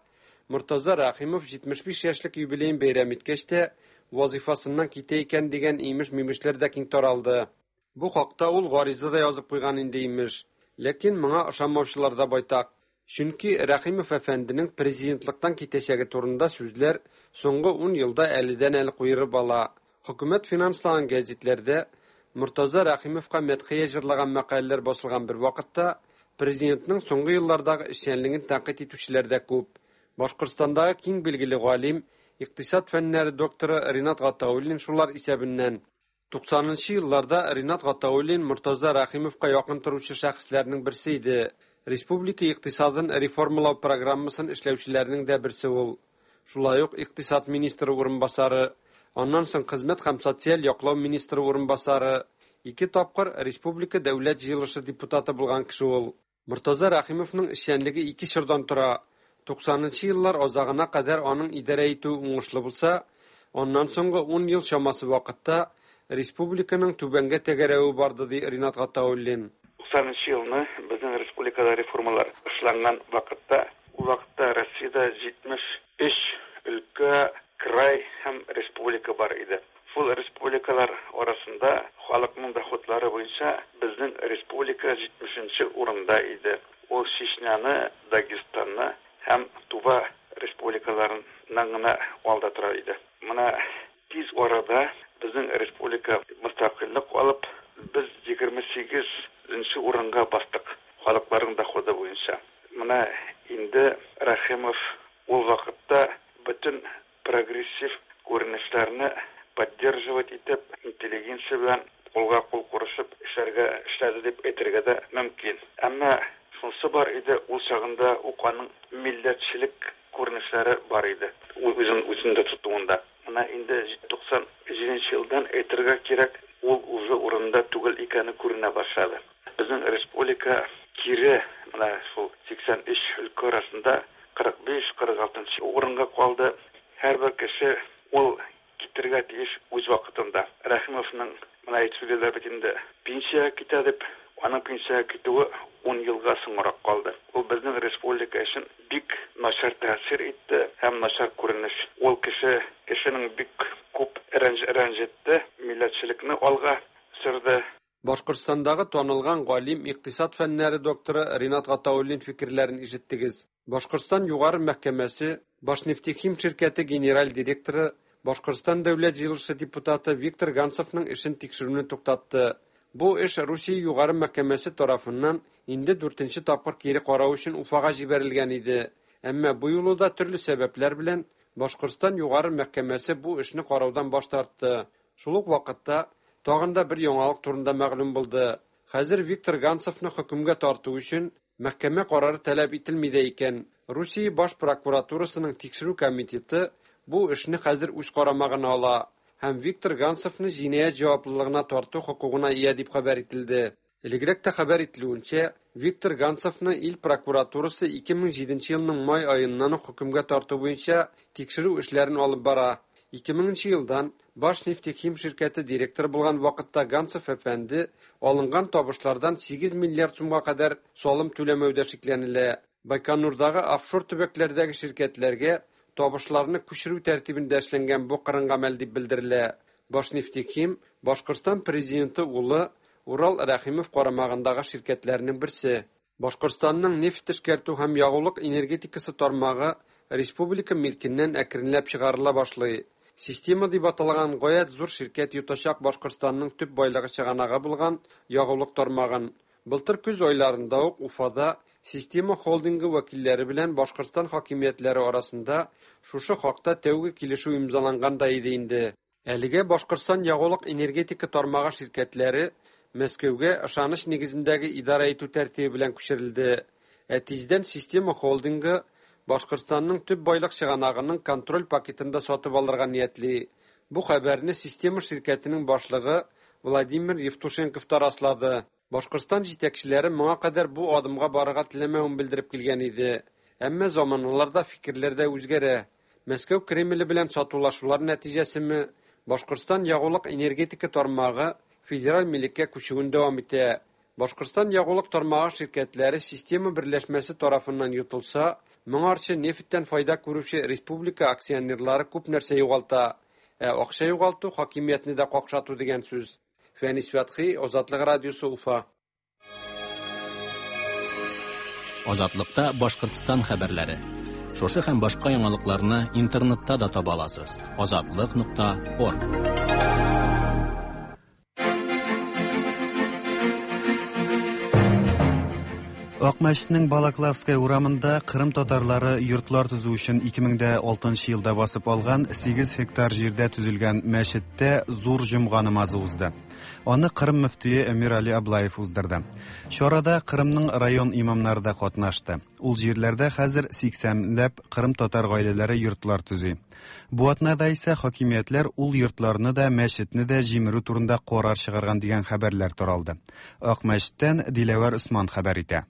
Мортаза Рәхимов 75 яшьлек юбилеен бәйрәм иткәч тә вазифасыннан китә икән дигән имеш-мимешләр дә киң таралды. Бу хакта ул гариза да язып куйган инде имеш. Ләкин моңа ышанмаучылар да байтак. Чөнки Рәхимов әфәнденең президентлыктан китәчәге турында сүзләр соңгы 10 елда әледән-әле куерып ала. Хөкүмәт финанслаган гәзитләрдә Мортаза Рәхимовка мәдхия җырлаган мәкаләләр басылган бер вакытта президентның соңгы еллардагы эшчәнлеген тәнкыйть итүчеләр дә күп. Башкортстандагы киң билгеле галим, икътисад фәннәре докторы Ринат Гатауллин шулар исәбеннән. 90 елларда Ринат Гатауллин Мортаза Рәхимовка якын торучы шәхесләрнең берсе иде. Республика икътисадын реформалау программасын эшләүчеләрнең дә берсе ул. Шулай ук икътисад министры урынбасары, аннан соң хезмәт һәм социаль яклау министры урынбасары, ике тапкыр республика дәүләт җыелышы депутаты булган кеше ул. Мортаза Рәхимовның эшчәнлеге ике чордан тора. 90 еллар азагына кадәр аның идарә итүе уңышлы булса, аннан соңгы 10 ел чамасы вакытта республиканың түбәнгә тәгәрәве барды, ди Ринат Гатауллин. 90 елны безнең республикада реформалар эшләнгән вакытта, ул вакытта Россиядә 73 өлкә, край һәм республика бар иде. Шул республикалар арасында халыкның доходлары буенча безнең республика 70 урында иде. Ул Чечняны, Дагестанны һәм Тува республикаларыннан гына алда тора иде. Менә тиз арада безнең республика мөстәкыйльлек алып, без 28 урынга бастык халыкларның доходы буенча. Менә инде Рәхимов ул вакытта бөтен прогрессив күренешләрне поддерживать итеп, интеллигенция белән кулга кул курышып эшләргә эшләде дип әйтергә дә мөмкин. Әмма шунысы бар иде, ул чагында ук аның милләтчелек күренешләре бар иде. Ул үзен үзендә тотуында. Менә инде 97 елдан әйтергә кирәк, ул үзе урынында түгел икәне күренә башлады. Безнең республика кире менә шул 83 өлкә арасында 45-46 урынга калды. Һәрбер кеше ул китергә тиеш үз вакытында. Рәхимовның менә әйтеп сөйлиләр бит инде, пенсиягә китә дип, аның пенсиягә китүе 10 елга соңрак калды. Ул безнең республика өчен бик начар тәэсир итте һәм начар күренеш. Ул кеше кешенең бик күп рәнҗетте, милләтчелекне алга сөрде. Башкортстандагы танылган галим, икътисад фәннәре докторы Ринат Гатауллин фикерләрен ишеттегез. Башкортстан Югары мәхкәмәсе Башнефтехим ширкәте генераль директоры Башкортстан Дәүләт җыелышы депутаты Виктор Ганцевның эшен тикшерүне туктатты. Бу эш Русия Югары мәхкәмәсе тарафыннан инде дүртенче тапкыр кире карау өчен Уфага җибәрелгән иде. Әмма бу юлы да төрле сәбәпләр белән Башкортстан Югары мәхкәмәсе бу эшне караудан баш тартты. Шул ук вакытта тагын да бер яңалык турында мәгълүм булды. Хәзер Виктор Ганцевны хөкемгә тарту өчен мәхкәмә карары таләп ителми дә икән. Русия баш прокуратурасының тикшерү комитеты бу эшне хәзер үз карамагына ала һәм Виктор Ганцевны җинаять җаваплылыгына тарту хокукына ия дип хәбәр ителде. Элегрәк тә хәбәр ителүенчә, Виктор Ганцевны ил прокуратурасы 2007 елның май аеннан ук хөкемгә тарту буенча тикшерү эшләрен алып бара. 2000 елдан Башнефтехим ширкәте директоры булган вакытта Ганцев әфәнде алынган табышлардан 8 миллиард сумга кадәр салым түләмәүдә шикләнелә. Байконурдагы офшор төбәкләрдәге ширкәтләргә табышларны күчерү тәртибендә эшләнгән бу кырын гамәл дип белдерелә. Башнефтехим Башкортстан президенты улы Урал Рәхимов карамагындагы ширкәтләрнең берсе. Башкортстанның нефть эшкәртү һәм ягулык энергетикасы тармагы республика милкеннән әкренләп чыгарыла башлый. Система дип аталган гаять зур ширкәт йотачак Башкортстанның төп байлыгы чыганагы булган ягулык тармагын. Былтыр көз айларында ук Уфада Система холдингы вәкилләре белән Башкортстан хакимиятләре арасында шушы хакта тәүге килешү имзаланган да иде инде. Әлегә Башкортстан ягулык-энергетика тармагы ширкәтләре Мәскәүгә ышаныч нигезендәге идарә итү тәртибе белән күчерелде. Ә тиздән Система холдингы Башкортстанның төп байлык чыганагының контроль пакетын да сатып алырга ниятли. Бу хәбәрне Система ширкәтенең башлыгы Владимир Евтушенков та раслады. Башкортстан җитәкчеләре моңа кадәр бу адымга барырга теләмәвен белдереп килгән иде. Әмма заманалар да, фикерләр дә үзгәрә. Мәскәү Кремле белән сатулашулар нәтиҗәсеме, Башкортстан ягулык-энергетика тармагы федераль милеккә күчүен дәвам итә. Башкортстан ягулык тармагы ширкәтләре Система берләшмәсе тарафыннан йотылса, моңарчы нефтьтән файда күрүче республика акционерлары күп нәрсә югалта. Ә акча югалту хакимиятне дә какшату дигән сүз. Фәнис Фәтхи, Азатлык радиосы, Уфа. Азатлыкта Башкортстан хәбәрләре. Шушы һәм башка яңалыкларны интернетта да таба аласыз. Азатлык.орг. Акмәчетнең Балаклавская урамында Кырым татарлары йортлар төзү өчен 2006 елда басып алган 8 гектар җирдә төзелгән мәчеттә зур җомга намазы узды. Аны Кырым мөфтие Эмир-Али Аблаев уздырды. Чарада Кырымның район имамнары да катнашты. Ул җирләрдә хәзер 80 ләп Кырым татар гаиләләре йортлар төзи. Бу атнада исә хакимиятләр ул йортларны да, мәчетне дә җимерү турында карар чыгарган дигән хәбәрләр таралды. Акмәчеттән Диләвәр Усман хәбәр итә.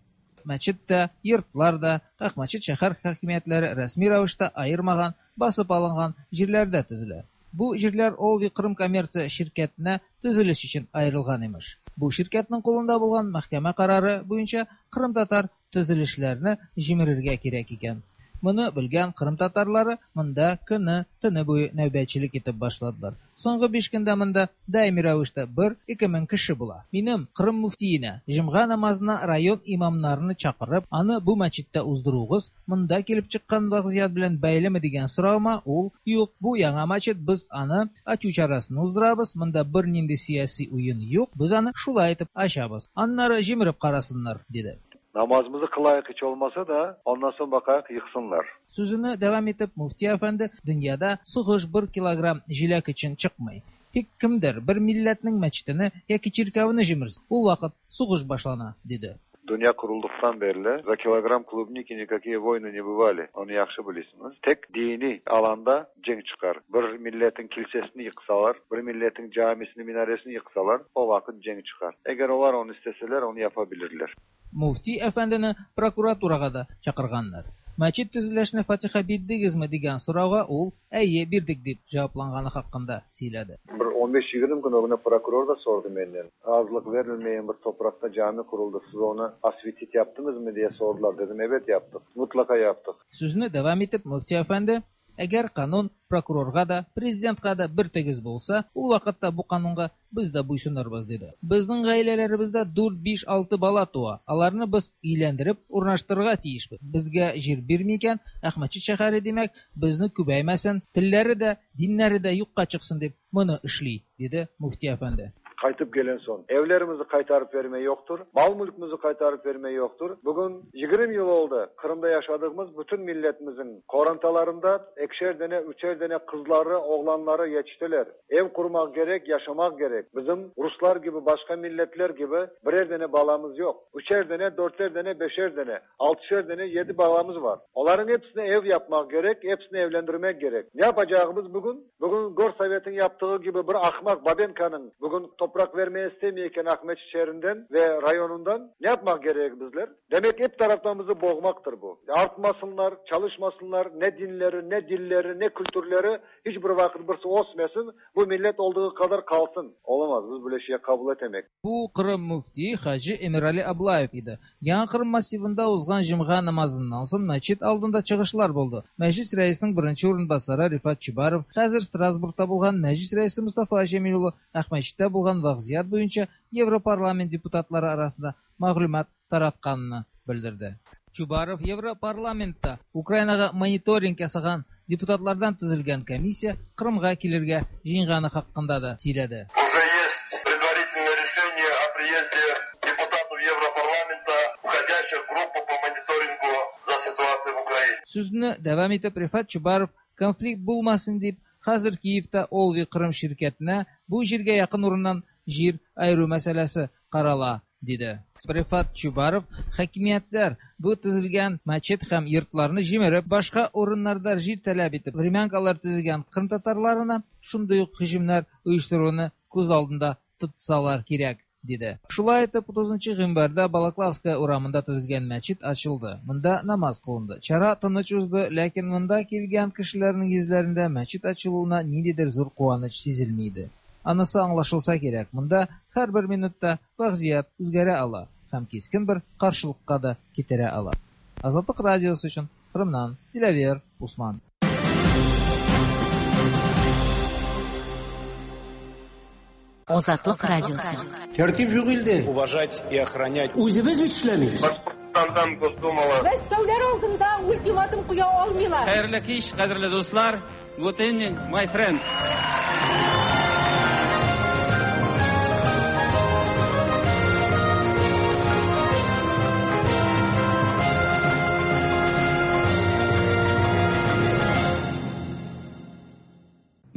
Мәчет тә, йортлар да Акмәчет шәһәр хакимиятләре рәсми рәвештә аермаган, басып алынган җирләрдә төзелә. Бу җирләр Олви Кырым коммерция ширкәтенә төзелеш өчен аерылган имеш. Бу ширкәтнең кулында булган мәхкәмә карары буенча кырымтатар төзелешләрне җимерергә кирәк икән. Моны белгән кырым татарлары монда көне, төне буе нәүбәтчелек итеп башладылар. Соңгы 5 көндә монда даими рәвештә 1-2 мең кеше була. Минем Кырым мөфтиенә җомга намазына район имамнарны чакырып, аны бу мәчеттә уздыруыгыз монда килеп чыккан вазгыять белән бәйлеме дигән соравыма ул, юк, бу яңа мәчет, без аны ачу чарасын уздырабыз, монда бернинди сияси уен юк, без аны шулай итеп ачабыз. Аннары җимереп карасыннар, диде. Namazımızı kılayık hiç olmasa da ondan sonra bakayık yıksınlar. Сүзене дәвам итеп, мөфти әфәнде, дөньяда сугыш 1 килограмм җиләк өчен чыкмый. Тик кемдер бер милләтнең мәчетене яки чиркәвене җимерсә, ул вакыт сугыш башлана, диде. Dünya kurulduktan beri за килограмм клубники никакие войны не бывали. Onu yaxşı bilirsiniz. Tek dini alanda cenk çıkar. Bir milletin kilisesini yıksalar, bir milletin camisini, minaresini yıksalar o vakit cenk çıkar. Eğer onlar onu isteseler onu yapabilirler. Мөфти әфәндене прокуратурага да чакырганнар. Мәчет төзелешенә фатиха бирдегезме дигән сорауга ул әйе бирдек дип җавапланганы хакында сөйләде. Bir 15-20 gün ögüne prokuror da sordu menden. Razılık verilmeyen bir toprakta cami kuruldu. Siz onu asvitit yaptınız mı diye sordular. Dedim evet yaptık. Mutlaka yaptık. Сүзне дәвам итеп, мөфти әфәнде Әгәр канун прокурорга да, президентка да бер тигез булса, ул вакытта бу канунга без дә буйсынырбыз, диде. Безнең гаиләләребездә 4, 5, 6 бала туа. Аларны без өйләндереп урнаштырырга тиешбез. Безгә җир бирми икән, Әхмәтчит шәһәре, димәк, безне күбәймәсен, телләре дә, диннәре дә юкка чыксын дип моны эшли, диде мөфти әфәнде. Qaytıp gelen son evlerimizi qaytarıp verme yoktur. Mal mülkümüzü qaytarıp verme yoktur. Bugün 20 yıl oldu. Kırım'da yaşadığımız bütün milletimizin korantalarında ekşer dene, üçer dene kızları, oğlanları yetiştiler. Ev kurmak gerek, yaşamak gerek. Bizim Ruslar gibi, başka milletler gibi birer dene balamız yok. Üçer dene, dörter dene, beşer dene, altışer dene, 7 balamız var. Onların hepsine ev yapmak gerek, hepsini evlendirmek gerek. Ne yapacağımız bugün? Bugün Gorsovet'in yaptığı gibi bir ahmak Babenka'nın bugün toprak vermeye istemeyken Ahmet şehrinden ve rayonundan ne yapmak gerek bizler? Demek hep taraftan bizi boğmaktır bu. Artmasınlar, çalışmasınlar, ne dinleri, ne dilleri, ne kültürleri hiçbir vakit birisi osmesin. Bu millet olduğu kadar kalsın. Olamaz, biz böyle şeye kabul etemek. Bu Kırım müfti Hacı Emirali Ablayev idi. Яңа Кырым массивында узган җомга намазыннан соң мәчет алдында чыгышлар булды. Мәҗлис рәисенең беренче урынбасары Рифат Чубаров, хәзер Страсбургта булган мәҗлис рәисе Мустафа Җәмил улы Әхмәтчиттә булган вазгыять буенча Европарламент депутатлары арасында мәгълүмат таратканын белдерде. Чубаров Европарламентта Украинага мониторинг ясаган депутатлардан төзелгән комиссия Кырымга килергә җыенганы хакында да сөйләде. Уже есть предварительное решение о приезде депутатов Европарламента, входящих в группу по мониторингу за ситуацией в Украине. Сүзне дәвам итеп Рифат Чубаров конфликт булмасын дип, хәзер Киевта Олви Кырым ширкәтенә бу җиргә якын урыннан җир айыру мәсьәләсе карала, диде. Рифат Чубаров хакимиятләр бу төзелгән мәчет һәм йортларны җимереп, башка урыннарда җир таләп итеп, времянкалар төзегән кырым татарларына шундый ук һөҗүмнәр оештыруны күз алдында тотсалар кирәк, диде. Шулай итеп, 30 гыйнварда Балаклавская урамында төзелгән мәчет ачылды. Монда намаз кылынды. Чара тыныч узды, ләкин монда килгән кешеләрнең йөзләрендә мәчет ачылуына ниндидер зур куаныч сизелми иде. Анысы аңлашылса кирәк, монда һәрбер минутта вазгыять үзгәрә ала һәм кискен бер каршылыкка да китерә ала. Азатлык радиосы өчен Кырымнан Диләвер Усман. Азатлык радиосы. Тәртип юк илдә. Уважать и охранять. Үзебез бит эшләмибез. Башкортстандан Госдумала. Мәскәүләр алдында ультиматум куя алмыйлар. Хәерле кич, кадерле дуслар. Good evening, my friends.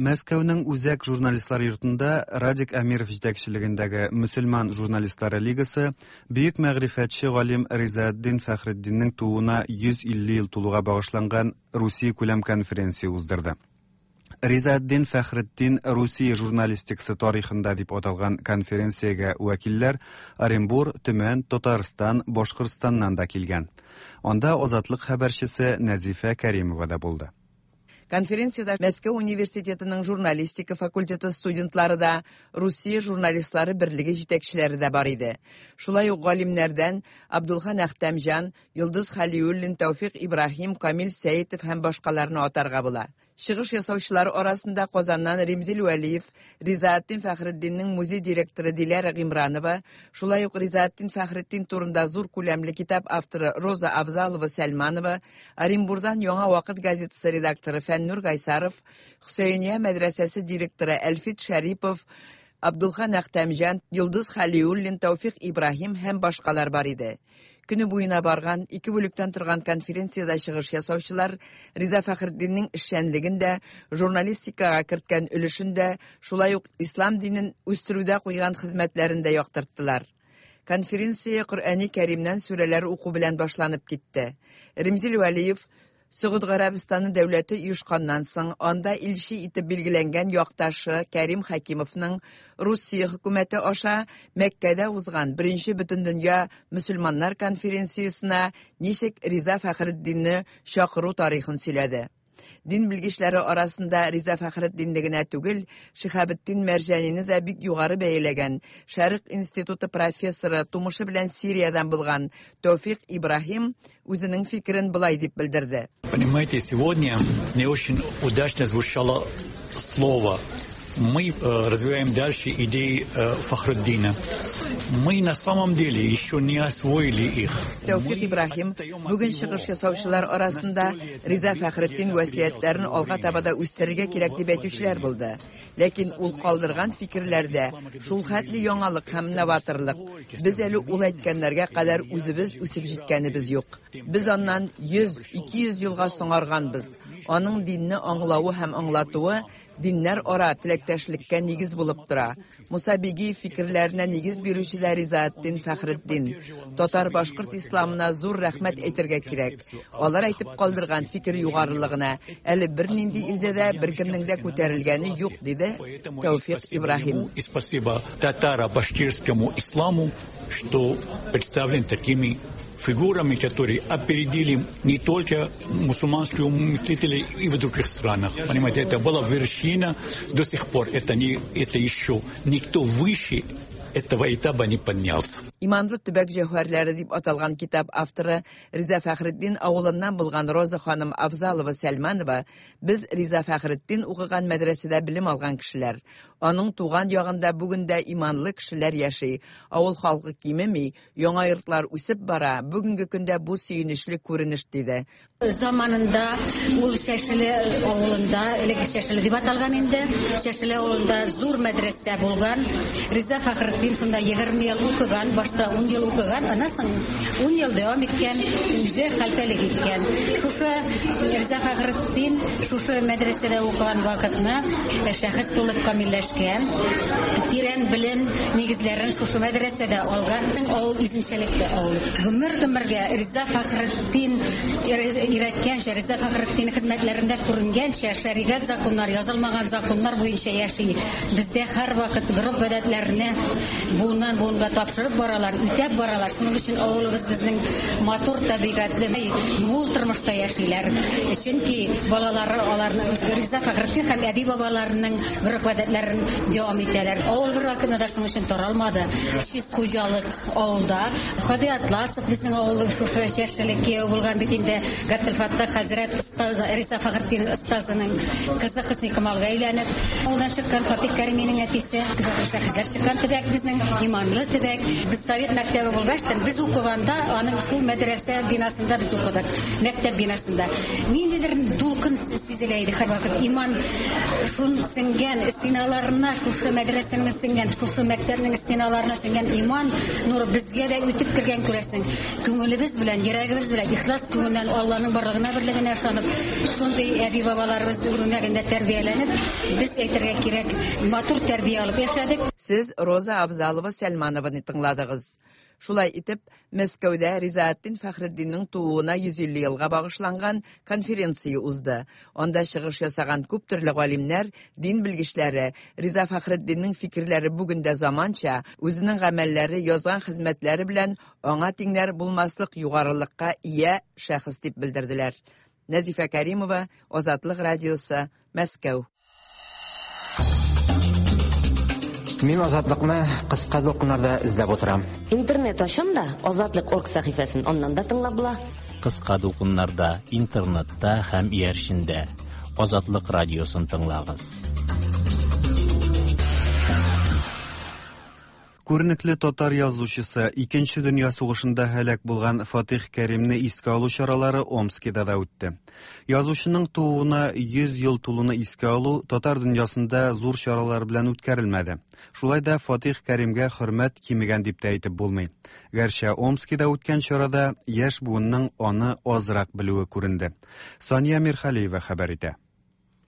Мәскәүнең Үзәк журналистлар йортында Радик Әмиров җитәкчелегендәге Мөселман журналистлары лигасы бөек мәгърифәтче галим Ризаэддин Фәхретдиннең тууына 150 ел тулуга багышланган Русия күләм конференция уздырды. Ризаэддин Фәхретдин Русия журналистикасы тарихында дип аталган конференциягә вәкилләр Оренбур, Төмән, Татарстан, Башкортстаннан да килгән. Анда Азатлык хәбәрчесе Нәзифә Кәримова да булды. Конференциядә Мәскәү университетының журналистика факультеты студентлары да, Русия журналистлары берлеге җитәкчеләре дә бар иде. Шулай ук галимнәрдән Абдулхан Әхтәмҗан, Йолдыз Хәлиуллин, Тәүфик Ибраһим, Камил Сәетов һәм башкаларны атарга була. Чыгыш ясаучылар арасында Казаннан Римзил Вәлиев, Ризаэддин Фәхретдиннең музей директоры Диләрә Гыймранова, шулай ук Ризаэддин Фәхретдин турында зур күләмле китап авторы Роза Авзалова Сәлманова, Оренбурдан Яңа вакыт газетасы редакторы Фәннур Гайсаров, Хөсәйния мәдрәсәсе директоры Әлфит Шәрипов, Абдулхан Әхтәмҗан, Йолдыз Хәлиуллин, Тәүфик Ибраһим һәм башкалар бар иде. Көне буена барган ике бүлектән торган конференциядә чыгыш ясаучылар Риза Фәхретдиннең эшчәнлеген дә, журналистикага керткән өлешен дә, шулай ук ислам динен үстерүдә куйган хезмәтләрен дә яктырттылар. Конференция Коръәни Кәримнән сүрәләр уку белән башланып китте. Римзил Вәлиев Согуд Гарәбстаны дәүләте оешканнан соң анда илче итеп билгеләнгән якташы Кәрим Хәкимовның Русия хөкүмәте аша Мәккәдә узган беренче бөтендөнья мөселманнар конференциясенә ничек Риза Фәхретдинне чакыру тарихын сөйләде. Дин белгечләре арасында Риза Фәхретдинне генә түгел, Шиһабетдин Мәрҗанине дә бик югары бәяләгән Шәрык институты профессоры, тумышы белән Сириядән булган Тәүфик Ибраһим үзенең фикерен болай дип белдерде. Понимаете, сегодня не очень удачно звучало слово мы развиваем дальше идеи Фахруддина. Мы на самом деле еще не освоили их. Тәүфик Ибраһим бүген чыгыш ясаучылар арасында Риза Фәхретдин васыятьләрен алга таба да үстерергә кирәк дип әйтүчеләр булды. Ләкин ул калдырган фикерләрдә шул хәтле яңалык һәм новаторлык. Без әле ул әйткәннәргә кадәр үзебез үсеп җиткәнебез юк. Без аннан 100-200 елга соңарганбыз. Аның динне аңлавы һәм аңлатуы диннәр ара теләктәшлеккә нигез булып тора. Муса Бигиев фикерләренә нигез бирүче дә Ризаэтдин Фәхретдин. Татар-башкорт исламына зур рәхмәт әйтергә кирәк. Алар әйтеп калдырган фикер югарылыгына әле бернинди илдә дә беркемнең дә күтәрелгәне юк, диде Тәүфик Ибраһим. И спасибо татаро-башкирскому исламу, что представлен такими фигурами, которые опередили не только мусульманских мыслителей и в других странах. Понимаете, это была вершина до сих пор. Это, не, это еще никто выше этого этапа не поднялся. Иманлы төбәк җәүһәрләре дип аталган китап авторы Риза Фәхретдин авылыннан булган Роза ханым Авзалова Сәлманова без Риза Фәхретдин укыган мәдрәсәдә белем алган кешеләр. Аның туган ягында бүген дә иманлы кешеләр яши. Авыл халкы кимеми, яңа йортлар үсеп бара. Бүгенге көндә бу сөенечле күренеш диде. Заманында ул Чәшеле авылында, элек Чәшеле дип аталган инде, Чәшеле авылында зур мәдрәсә булган. Риза Фәхретдин шунда 20 ел укыган, башта 10 ел укыган, аннан соң 10 ел дәвам иткән, үзе хәлфәлек иткән. Шушы Риза Фәхретдин шушы мәдрәсәдә укыган вакытны шәхес булып камилләшкән, тирән белем нигезләрен шушы мәдрәсәдә алган. Авыл үзенчәлекле авыл. Гомер-гомергә Риза Фәхретдин өйрәткәнчә, Риза Фәхретдин хезмәтләрендә күренгәнчә, шәригать законнар, язылмаган законнар буенча яши. Бездә һәрвакыт гореф-гадәтләрне буыннан буынга тапшырып баралар, үтәп баралар. Шуның өчен авылыбыз безнең матур табигатьле, мул тормышта яшиләр. Чөнки балалары аларны Риза Фәхретдин һәм әби-бабаларының гореф-гадәтләрен дәвам итәләр. Авыл бер вакытта да шуның өчен таралмады. Чист хуҗалык авылда. Хади Атласов безнең авылның шушы чәшелек кияү булган бит инде. Габделфаттах хәзрәт остазы Риза Фәхретдин остазының кызы Хөсникамалга әйләнеп, авылдан чыккан Фатих Кәриминең әтисе. Шәхесләр чыккан төбәк безнең, иманлы төбәк. Без совет мәктәбе булгач та, без укыганда аның шул мәдрәсә бинасында без укыдык, мәктәп бинасында. Ниндидер дулкын сизелә иде һәрвакыт. Иман шун сеңгән стеналарына, шушы мәдрәсәнең сеңгән, шушы мәктәпнең стеналарына сеңгән иман нуры безгә дә үтеп кергән күрәсең. Күңелебез белән, йөрәгебез белән, ихлас күңелдән Алланың барлыгына, берлегенә ышанып, шундый әби-бабаларыбыз үрнәгендә тәрбияләнеп, без әйтергә кирәк, матур тәрбия алып яшәдек. Сез Роза Абзалова Сәлманованы тыңладыгыз. Шулай итеп, Мәскәүдә Ризаэтдин Фәхретдиннең тууына 150 елга багышланган конференция узды. Анда чыгыш ясаган күп төрле галимнәр, дин белгечләре Риза Фәхретдиннең фикерләре бүген дә заманча, үзенең гамәлләре, язган хезмәтләре белән аңа тиңнәр булмаслык югарылыкка ия шәхес дип белдерделәр. Нәзифә Кәримова, Азатлык радиосы, Мәскәү. Мин Азатлыкны кыска дулкыннарда эзләп утырам. Интернет ачам да, Азатлык орг сәхифәсен аннан да тыңлап була. Кыска дулкыннарда, интернетта һәм иярчендә Азатлык радиосын тыңлагыз. Күренекле татар язучысы, Икенче дөнья сугышында һәлак булган Фатих Кәримне искә алу чаралары Омскида да үтте. Язучының тууына 100 ел тулуны искә алу татар дөньясында зур чаралар белән үткәрелмәде. Шулай да Фатих Кәримгә хөрмәт кимегән дип тә әйтеп булмый. Гәрчә Омскида үткән чарада яшь буынның аны азрак белүе күренде. Сания Мирхалиева хәбәр итә.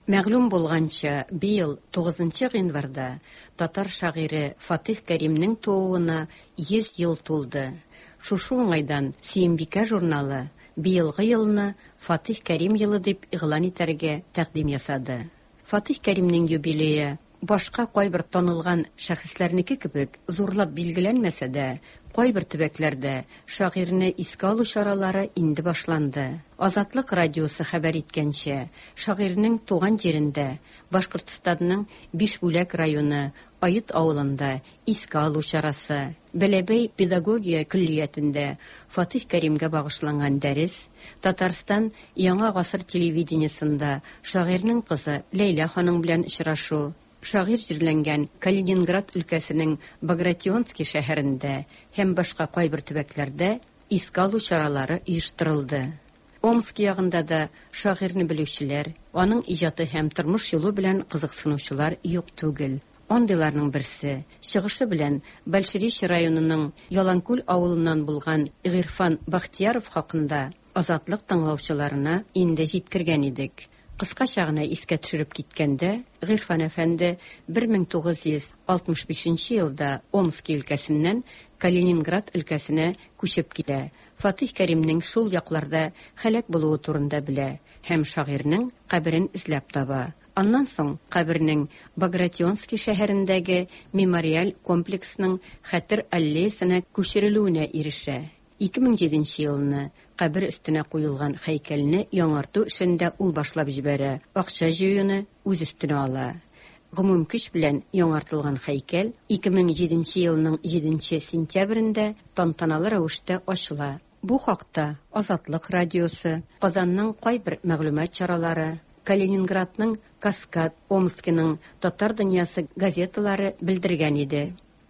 Мәгълүм булганча, быел 9 гыйнварда татар шагыйре Фатих Кәримнең тууына 100 ел тулды. Шушы уңайдан Сөембикә журналы быелгы елны Фатих Кәрим елы дип игълан итәргә тәкъдим ясады. Фатих Кәримнең юбилее башка кайбер танылган шәхесләрнеке кебек зурлап билгеләнмәсә дә, Кайбер төбәкләрдә шагыйрьне искә алу чаралары инде башланды. Азатлык радиосы хәбәр иткәнчә, шагыйрьнең туган җирендә, Башкортстанның Бишбүләк районы Ает авылында искә алу чарасы, Бәләбәй педагогия көллиятендә Фатих Кәримгә багышланган дәрес, Татарстан Яңа гасыр телевидениесында шагыйрьнең кызы Ләйлә ханым белән очрашу, шагыйрь җирләнгән Калининград өлкәсенең Багратионский шәһәрендә һәм башка кайбер төбәкләрдә искә алу чаралары оештырылды. Омск ягында да шагыйрьне белүчеләр, аның иҗаты һәм тормыш юлы белән кызыксынучылар юк түгел. Андыйларның берсе, чыгышы белән Большеречье районының Яланкүл авылыннан булган Гыйрфан Бахтияров хакында Азатлык тыңлаучыларына инде җиткергән идек. Кыскача гына искә төшереп киткәндә, Гыйрфан әфәнде 1965 нче елда Омски өлкәсеннән Калининград өлкәсенә күчеп килә, Фатих Кәримнең шул якларда һәлак булуы турында белә һәм шагыйрьнең каберен эзләп таба. Аннан соң кабернең Багратионский шәһәрендәге мемориаль комплексның Хәтер аллеясына күчерелүенә ирешә. 2007 нче елны кабер өстенә куелган һәйкәлне яңарту эшен дә ул башлап җибәрә, акча җыюны үз өстенә ала. Гомум көч белән яңартылган һәйкәл 2007 нче елның җиденче сентябрендә тантаналы рәвештә ачыла. Бу хакта Азатлык радиосы, Казанның кайбер мәгълүмат чаралары, Калининградның Каскад, Омскиның Татар дөньясы газеталары белдергән иде.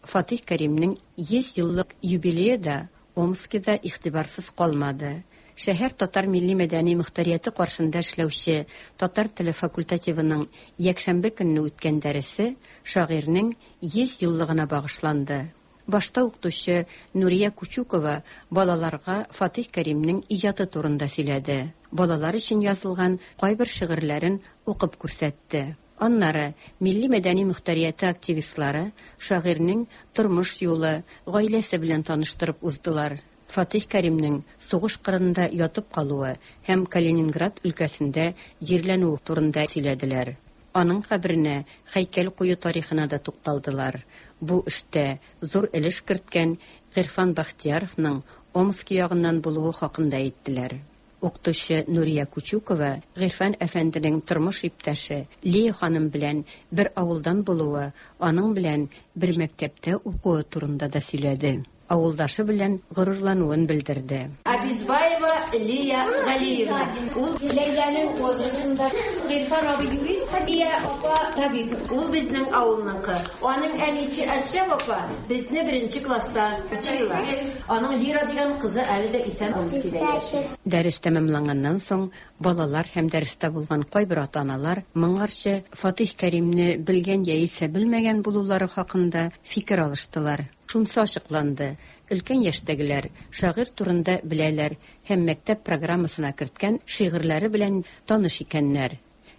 Фатих Кәримнең 100 еллык юбилее да Омскида игътибарсыз калмады. Шәһәр татар милли-мәдәни мохтарияте каршында эшләүче татар теле факультативының якшәмбе көнне үткән дәресе шагыйрьнең 100 еллыгына багышланды. Башта укытучы Нурия Кучукова балаларга Фатих Кәримнең иҗаты турында сөйләде, балалар өчен язылган кайбер шигырьләрен укып күрсәтте. Аннары милли-мәдәни мохтарияте активистлары шагыйрьнең тормыш юлы, гаиләсе белән таныштырып уздылар. Фатих Кәримнең сугыш кырында ятып калуы һәм Калининград өлкәсендә җирләнүе турында сөйләделәр. Аның каберенә һәйкәл кую тарихына да тукталдылар. Бу эштә зур өлеш керткән Гыйрфан Бәхтияровның Омски ягыннан булуы хакында әйттеләр. Укытучы Нурия Кучукова Гыйрфан әфәнденең тормыш иптәше Лия ханым белән бер авылдан булуы, аның белән бер мәктәптә укуы турында да сөйләде. Авылдашы белән горурлануын белдерде. Абизбаева Лия Галиевна. Ул Ләйләнең возрастында. Гыйрфан абый юрист, Хәбия апа табиб. Ул безнең авылныкы. Аның әнисе Әшрәф апа безне беренче класста учила. Аның Лира дигән кызы әле дә исән Омскида яши. Дәрес тәмамланганнан соң, балалар һәм дәрестә булган кайбер ата-аналар моңарчы Фатыйх Кәримне белгән яисә белмәгән булулары хакында фикер алыштылар. Шунысы ачыкланды, өлкән яшьтәгеләр шагыйрь турында беләләр һәм мәктәп программасына керткән шигырьләре белән таныш икәннәр.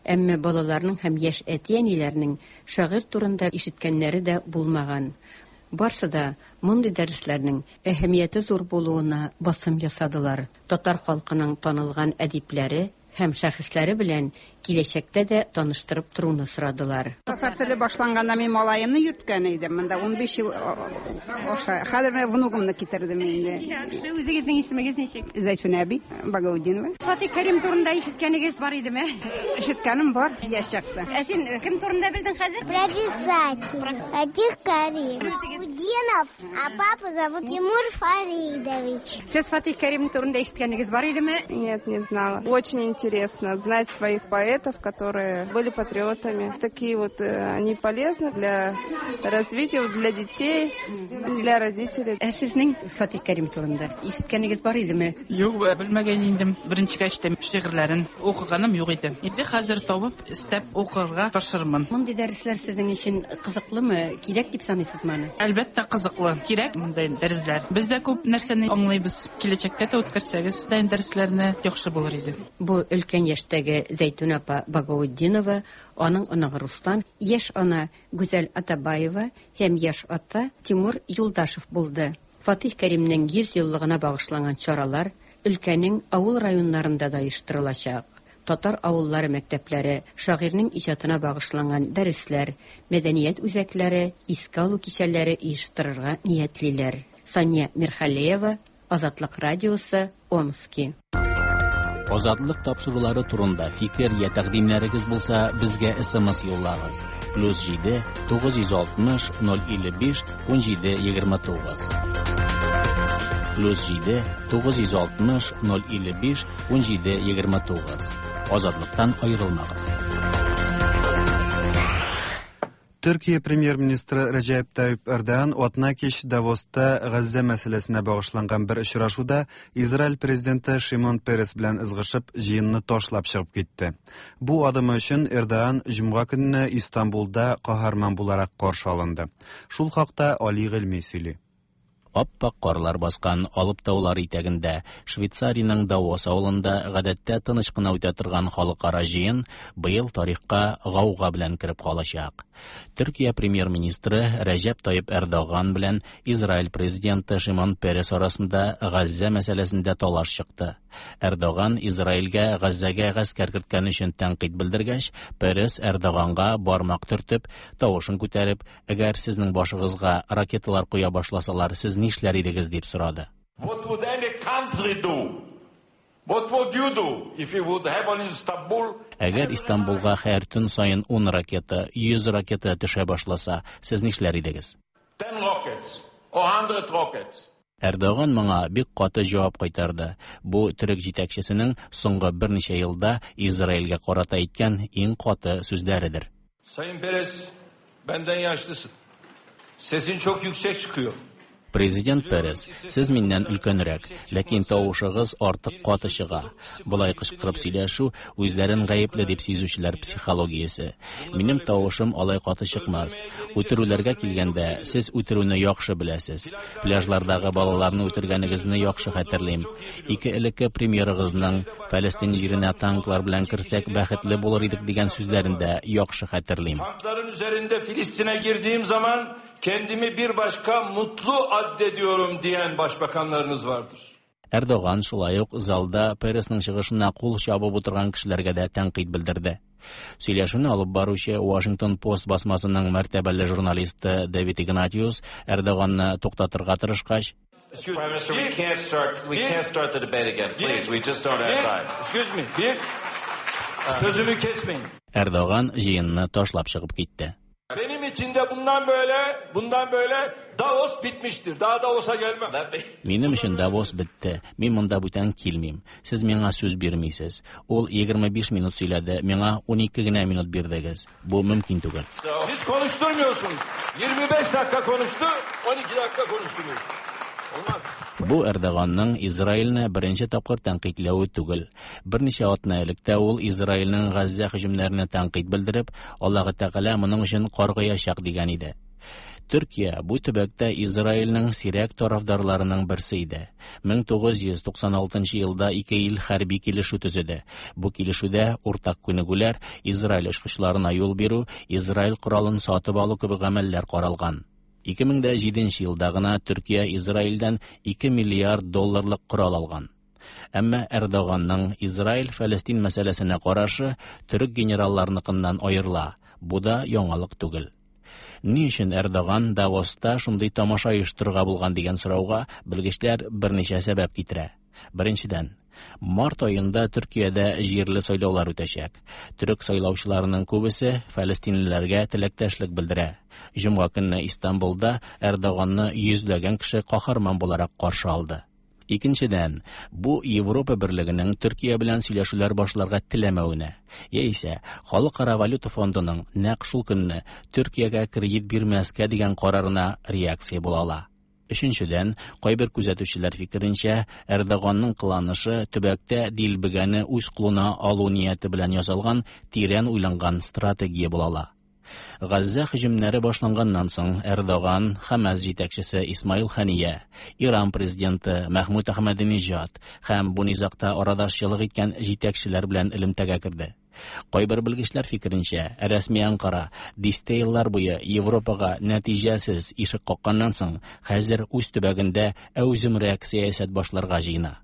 Әмма балаларның һәм яшь әти-әниләрнең шагыйрь турында ишеткәннәре дә булмаган. Барсы да мондый дәресләрнең әһәмияте зур булуына басым ясадылар, татар халкының танылган әдипләре һәм шәхесләре белән киләчәктә дә таныштырып торуны сорадылар. Татар теле башланганда мин малаемны йөрткән идем. Монда 15 ел аша. Хәзер менә внугымны китердем инде. Яхшы, үзегезнең исемегез ничек? Зәйтүнә әби Багаутдинова. Фатих Кәрим турында ишеткәнегез бар идеме? Ишеткәнем бар, яшь чакта. Ә син кем турында белдең хәзер? Про писателя. Фатих Карим. Удинов, а папу зовут Тимур Фаридович. Сез Фатих Кәрим турында ишеткәнегез бар идеме? Нет, не знала. Очень интересно знать своих поэтов, которые были патриотами. Такие вот они полезны для развития, для детей, для родителей. Ә сезнең Фатих Кәрим турында ишеткәнегез бар идеме? Юк, белмәгән идем. Беренчегә ишетәм шигырьләрен. Укыганым юк иде. Инде хәзер табып, эзләп укырга тырышырмын. Мондый дәресләр сезнең өчен кызыклымы? Кирәк дип саныйсызмы аны? Әлбәттә, кызыклы. Кирәк мондай дәресләр. Без дә күп нәрсәне аңлыйбыз. Киләчәктә дә үткәрсәгез, дә дәресләрне яхшы булыр иде. Бу өлкән яшьтәге Зәйтүн апа Багаутдинова, аның оныгы Руслан, яшь ана Гүзәл Атабаева һәм яшь ата Тимур Юлдашев булды. Фатих Кәримнең 100 еллыгына багышланган чаралар өлкәнең авыл районнарында да оештырылачак. Татар авыллары мәктәпләре шагыйрьнең иҗатына багышланган дәресләр, мәдәният үзәкләре, искә алу кичәләре оештырырга ниятлиләр. Сания Мирхалеева, Азатлык радиосы, Омски. Азатлык тапшырулары турында фикер я тәкъдимнәрегез булса, безгә SMS юллагыз. Плюс 7 960 055 17 29. Плюс 7 960 055 17 29. Азатлыктан аерылмагыз. Төркия премьер-министры Рәҗәп Тайип Эрдоган атна кич Давоста Газзә мәсьәләсенә багышланган бер очрашуда Израиль президенты Шимон Перес белән ызгышып, җыенны ташлап чыгып китте. Бу адымы өчен Эрдоган җомга көнне Истанбулда каһарман буларак каршы алынды. Шул хакта Али Гыйльми сөйли. Ап-ак карлар баскан Алып таулар итәгендә, Швейцариянең Давос авылында гадәттә тыныч кына үтә торган халыкара җыен быел тарихка гауга белән кереп калачак. Төркия премьер-министры Рәҗәп Тайип Эрдоган белән Израиль президенты Шимон Перес арасында Газзә мәсьәләсендә талаш чыкты. Эрдоган Израильгә Газзәгә гаскәр керткән өчен тәнкыйть белдергәч, Перес Эрдоганга бармак төртеп, тавышын күтәреп, Әгәр сезнең башыгызга ракеталар коя башласалар, сез нишләр идегез, дип сорады. What would any country do? What would you do if you would have on Istanbul? Әгәр Истанбулга һәр төн саен 10 ракета, 100 ракета төшә башласа, сез нишләр идегез? 10 rockets or 100 rockets. Эрдоган моңа бик каты җавап кайтарды. Бу төрек җитәкчесенең соңгы берничә елда Израильгә карата әйткән иң каты сүзләредер. Sayın Peres, benden yaşlısın. Sesin çok yüksek çıkıyor. Президент Перес, сез миннән өлкәнрәк, ләкин тавышыгыз артык каты чыга. Болай кычкырып сөйләшү үзләрен гаепле дип сизүчеләр психологиясе. Минем тавышым алай каты чыкмас. Үтерүләргә килгәндә, сез үтерүне яхшы беләсез. Пляжлардагы балаларны үтергәнегезне яхшы хәтерлим. Ике элекке премьерыгызның Фәлестин җиренә танклар белән керсәк, бәхетле булыр идек дигән сүзләрен дә яхшы хәтерлим. Tankların üzerinde Filistin'e girdiğim zaman kendimi bir başka mutlu addediyorum diyen başbakanlarınız vardır. Эрдоган шулай ук залда Пересның чыгышына кул чабып утырган кешеләргә дә тәнкыйть белдерде. Сөйләшүне алып баручы Washington Post басмасының мәртәбәле журналисты Дэвид Игнатиус Эрдоганны туктатырга тырышкач, Excuse Prime Minister, we can't start. We can't start the debate again, please. We just don't have time. Excuse me. Bir sözümü kesmeyin. Эрдоган җыенны ташлап чыгып китте. Benim için de bundan böyle, bundan böyle Davos bitmiştir. Daha Davos'a gelmem. Минем өчен Давос бетте. Мин монда бүтән килмим. Сез миңа сүз бирмисез. Ул 25 минут сөйләде, миңа 12 генә минут бирдегез. Бу мөмкин түгел. Siz konuşturmuyorsunuz. 25 dakika konuştu, 12 dakika konuşturuyorsunuz. Olmaz. Бу Эрдоганның Израильне беренче тапкыр тәнкыйтьләве түгел. Берничә атна элек тә ул Израильнең Газзә һөҗүмнәренә тәнкыйть белдереп, Аллаһы Тәгалә моның өчен каргыячак дигән иде. Төркия бу төбәктә Израильнең сирәк тарафдарларының берсе иде. 1996 елда ике ил хәрби килешү төзеде. Бу килешүдә уртак күнегүләр, Израиль очкычларына юл бирү, Израиль коралын сатып алу кебек гамәлләр каралган. 2007 елда гына Төркия Израильдән 2 миллиард долларлык корал алган. Әмма Эрдоганның Израиль-Фәлестин мәсьәләсенә карашы төрек генералларыныкыннан аерыла. Бу да яңалык түгел. Ни өчен Эрдоган Давоста шундый тамаша оештырырга булган дигән сорауга белгечләр берничә сәбәп китерә. Беренчедән, март аенда Төркиядә җирле сайлаулар үтәчәк. Төрек сайлаучыларының күбесе фәлестинлеләргә теләктәшлек белдерә. Җомга көнне Истанбулда Эрдоганны йөзләгән кеше каһарман буларак каршы алды. Икенчедән, бу Европа берлегенең Төркия белән сөйләшүләр башларга теләмәвенә, яисә Халыкара валюта фондының нәкъ шул көнне Төркиягә кредит бирмәскә дигән карарына реакция була ала. Өченчедән, кайбер күзәтүчеләр фикеренчә, Эрдоганның кыланышы төбәктә дилбегәне үз кулына алу нияте белән ясалган тирән уйланган стратегия була ала. Газзә һөҗүмнәре башланганнан соң Эрдоган, Хамас җитәкчесе Исмаил Хания, Иран президенты Мәхмүд Әхмәдинежад һәм бу низагта арадашчылык иткән җитәкчеләр белән элемтәгә керде. Кайбер белгечләр фикеренчә, рәсми Анкара дистә еллар буе Европага нәтиҗәсез ишек какканнан соң, хәзер үз төбәгендә әүземрәк сәясәт башларга җыена.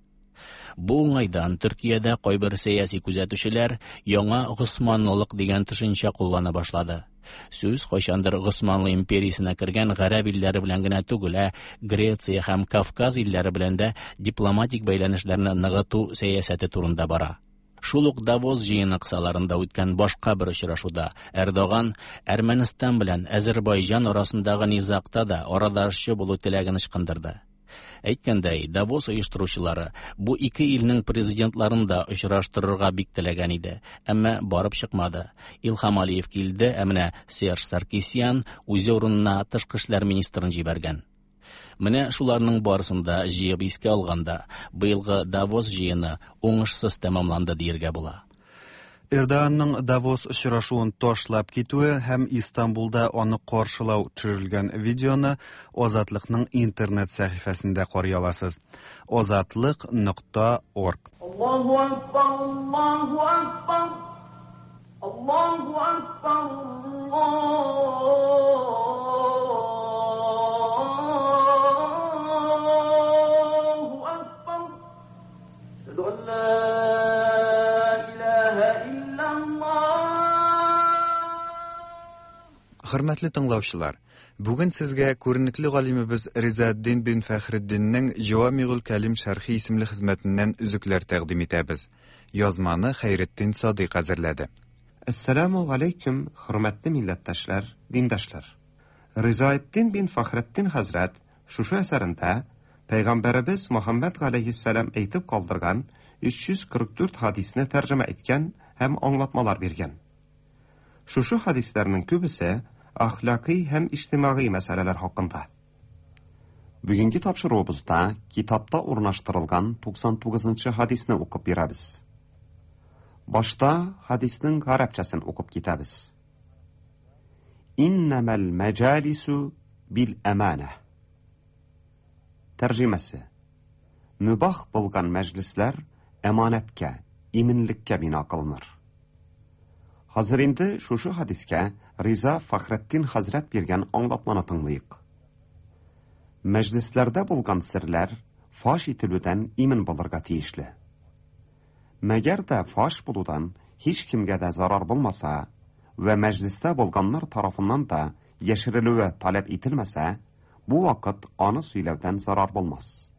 Бу уңайдан Төркиядә кайбер сәяси күзәтүчеләр яңа госманлылык дигән төшенчә куллана башлады. Сүз кайчандыр Госманлы империясенә кергән гарәп илләре белән генә түгел, ә Греция һәм Кавказ илләре белән дә дипломатик бәйләнешләрне ныгыту сәясәте турында бара. Шул ук Давос җыены кысаларында үткән башка бер очрашуда Эрдоган Әрмәнстан белән Әзербайҗан арасындагы низагта да арадашчы булу теләген ычкындырды. Әйткәндәй, Давос оештыручылары бу ике илнең президентларын да очраштырырга бик теләгән иде, әмма барып чыкмады. Илһам Алиев килде, ә менә Серж Саркисян үзе урынына тышкы эшләр министрын җибәргән. Менә шуларның барысын да җыеп искә алганда, быелгы Давос җыены уңышсыз тәмамланды диергә була. Эрдоганның Давос очрашуын ташлап китүе һәм Истанбулда аны каршылау төшерелгән видеоны Азатлыкның интернет сәхифәсендә карый аласыз. Азатлык нокта орг. Аллаһу акбар, Аллаһу акбар, Аллаһу акбар, Аллаһу акбар. Әшһәду ан ла илаһа иллаллаһ. Хөрмәтле тыңлаучылар, бүген сезгә күренекле галимебез Ризаэддин бин Фәхретдиннең Җавамигул Кәлим шәрхи исемле хезмәтеннән өзекләр тәкъдим итәбез. Язманы Хәйретдин Садыйк әзерләде. Әссәламү галәйкүм, хөрмәтле милләттәшләр, диндәшләр! Ризаэддин бин Фәхретдин хәзрәт шушы әсәрендә Пәйгамбәребез Мөхәммәд галәйһиссәлам әйтеп калдырган 344 хадисне тәрҗемә иткән һәм аңлатмалар биргән. Шушы хадисләрнең күбесе әхлакый һәм иҗтимагый мәсьәләләр хакында. Бүгенге тапшыруыбызда китапта урнаштырылган 99 нчы хадисне укып бирәбез. Башта хадиснең гарәпчәсен укып китәбез. Иннәмәл мәҗалису бил әманә. Тәрҗемәсе. Мөбах булган мәҗлесләр әманәткә, иминлеккә бина кылыныр. Хәзер инде шушы хадискә Риза Фәхретдин хәзрәт биргән аңлатманы тыңлыйк. Мәҗлесләрдә булган серләр фаш ителүдән имин булырга тиешле. Мәгәр дә фаш булудан һичкемгә дә зарар булмаса вә мәҗлестә булганнар тарафыннан да яшерелүе таләп ителмәсә, бу вакыт аны сөйләүдән зарар булмас.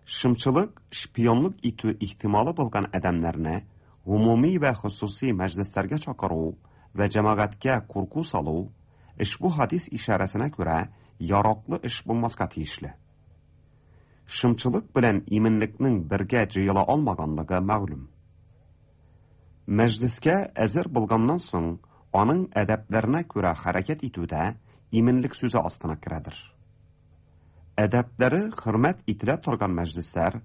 Шымчылык, шпионлык итү ихтималы булган адәмнәрне гомуми вә хосусый мәҗлесләргә чакыру вә җәмәгатькә курку салу, ошбу хадис ишарәсенә күрә, яраклы эш булмаска тиешле. Шымчылык белән иминлекнең бергә җыела алмаганлыгы мәгълүм. Мәҗлескә әзер булганнан соң, аның әдәпләренә күрә хәрәкәт итү дә иминлек сүзе астына керәдер. Әдәпләре хөрмәт ителә торган мәҗлесләр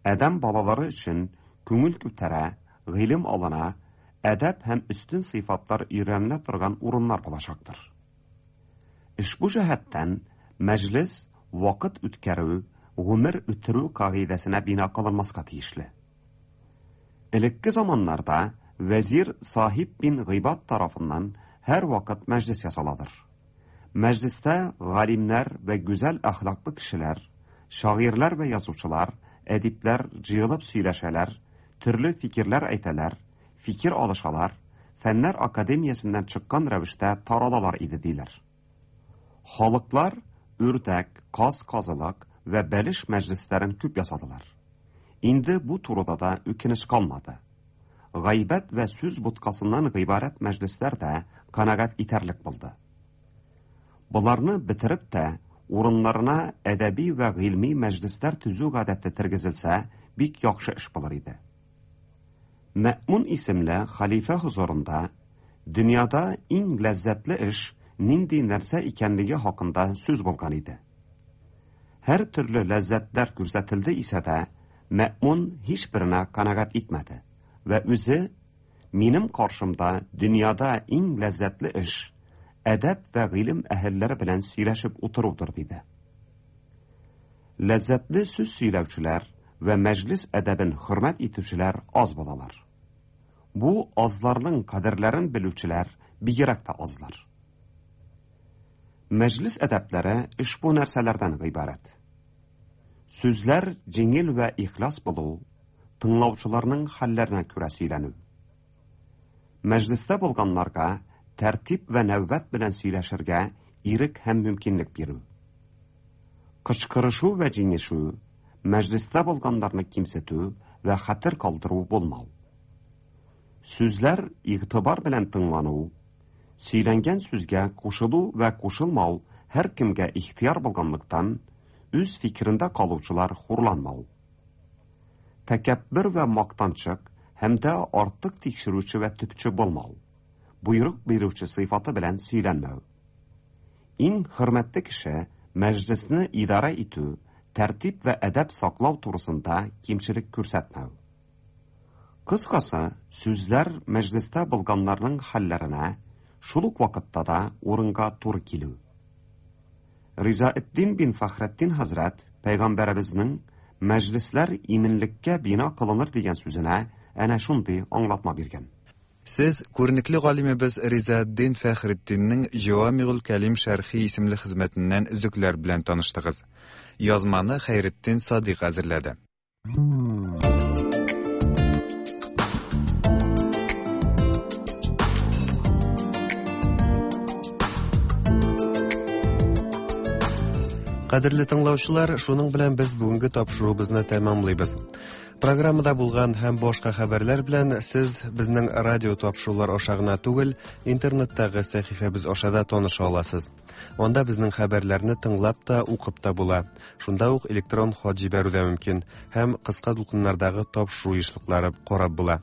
адәм балалары өчен күңел күтәрә, гыйлем алына, әдәп һәм өстен сыйфатлар өйрәнелә торган урыннар булачактыр. Ошбу җәһәттән мәҗлес вакыт үткәрү, гомер үтерү кагыйдәсенә бина кылынмаска тиешле. Элекке заманнарда вәзир Сахиб бин Гыйбад тарафыннан һәрвакыт мәҗлес ясаладыр. Мәҗлестә галимнәр вә гүзәл әхлаклы кешеләр, шагыйрьләр вә язучылар, әдипләр җыелып сөйләшәләр, төрле фикерләр әйтәләр, фикер алышалар, фәннәр академиясеннән чыккан рәвештә таралалар иде, диләр. Халыклар үрдәк, каз казылык вә бәлеш мәҗлесләрен күп ясадылар. Инде бу турыда да үкенеч калмады. Гайбәт вә сүз боткасыннан гыйбарәт мәҗлесләр дә канәгать итәрлек булды. Боларны бетереп тә, урыннарына әдәби вә гыйльми мәҗлесләр төзү гадәте тергезелсә, бик яхшы эш булыр иде. Мәэмүн исемле хәлифә хозурында дөньяда иң ләззәтле эш нинди нәрсә икәнлеге хакында сүз булган иде. Һәр төрле ләззәтләр күрсәтелде исә дә, Мәэмүн һичберенә канәгать итмәде вә үзе, Минем каршымда дөньяда иң ләззәтле эш, әдәп вә гыйлем әһелләре белән сөйләшеп утырудыр, диде. Ләззәтле сүз сөйләүчеләр вә мәҗлес әдәбен хөрмәт итүчеләр аз булалар. Бу азларның кадерләрен белүчеләр бигрәк тә азлар. Мәҗлес әдәпләре ошбу нәрсәләрдән гыйбарәт. Сүзләр җиңел вә ихлас булу, тыңлаучыларның хәлләренә күрә сөйләнү. Мәҗлестә булганнарга тәртип вә нәүбәт белән сөйләшергә ирек һәм мөмкинлек бирү. Кычкырышу вә җиңешү, мәҗлестә булганнарны кимсетү вә хәтер калдыру булмау. Сүзләр игътибар белән тыңлану, сөйләнгән сүзгә кушылу вә кушылмау һәркемгә ихтыяр булганлыктан, үз фикерендә калучылар хурланмау. Тәкәббер вә мактанчык һәм дә артык тикшерүче вә төпче булмау. Боерык бирүче сыйфаты белән сөйләнмәү. Иң хөрмәтле кеше мәҗлесне идарә итү, тәртип вә әдәп саклау турысында кимчелек күрсәтмәү. Кыскасы, сүзләр мәҗлестә булганнарның хәлләренә, шул ук вакытта да урынга туры килү. Ризаэддин бин Фәхретдин хәзрәт пәйгамбәребезнең мәҗлесләр иминлеккә бина кылыныр дигән сүзенә әнә шундый аңлатма биргән. Сез күренекле галимебез Ризаэддин Фәхретдиннең Җавамигуль Кәлим шәрхи исемле хезмәтеннән өзекләр белән таныштыгыз. Язманы Хәйретдин Садыйк әзерләде. Кадерле тыңлаучылар, шуның белән без бүгенге тапшыруыбызны тәмамлыйбыз. Программада булган һәм башка хәбәрләр белән сез безнең радио тапшырулар аша гына түгел, интернеттагы сәхифәбез аша да таныша аласыз. Анда безнең хәбәрләрне тыңлап та, укып та була. Шунда ук электрон хат җибәрү дә мөмкин һәм кыска дулкыннардагы тапшыру ешлыклары карап була.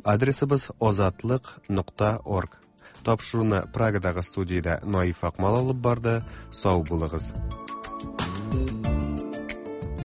Адресыбыз азатлык.орг. Тапшыруны Прагадагы студиядә Наиф Акмал алып барды. Сау булыгыз.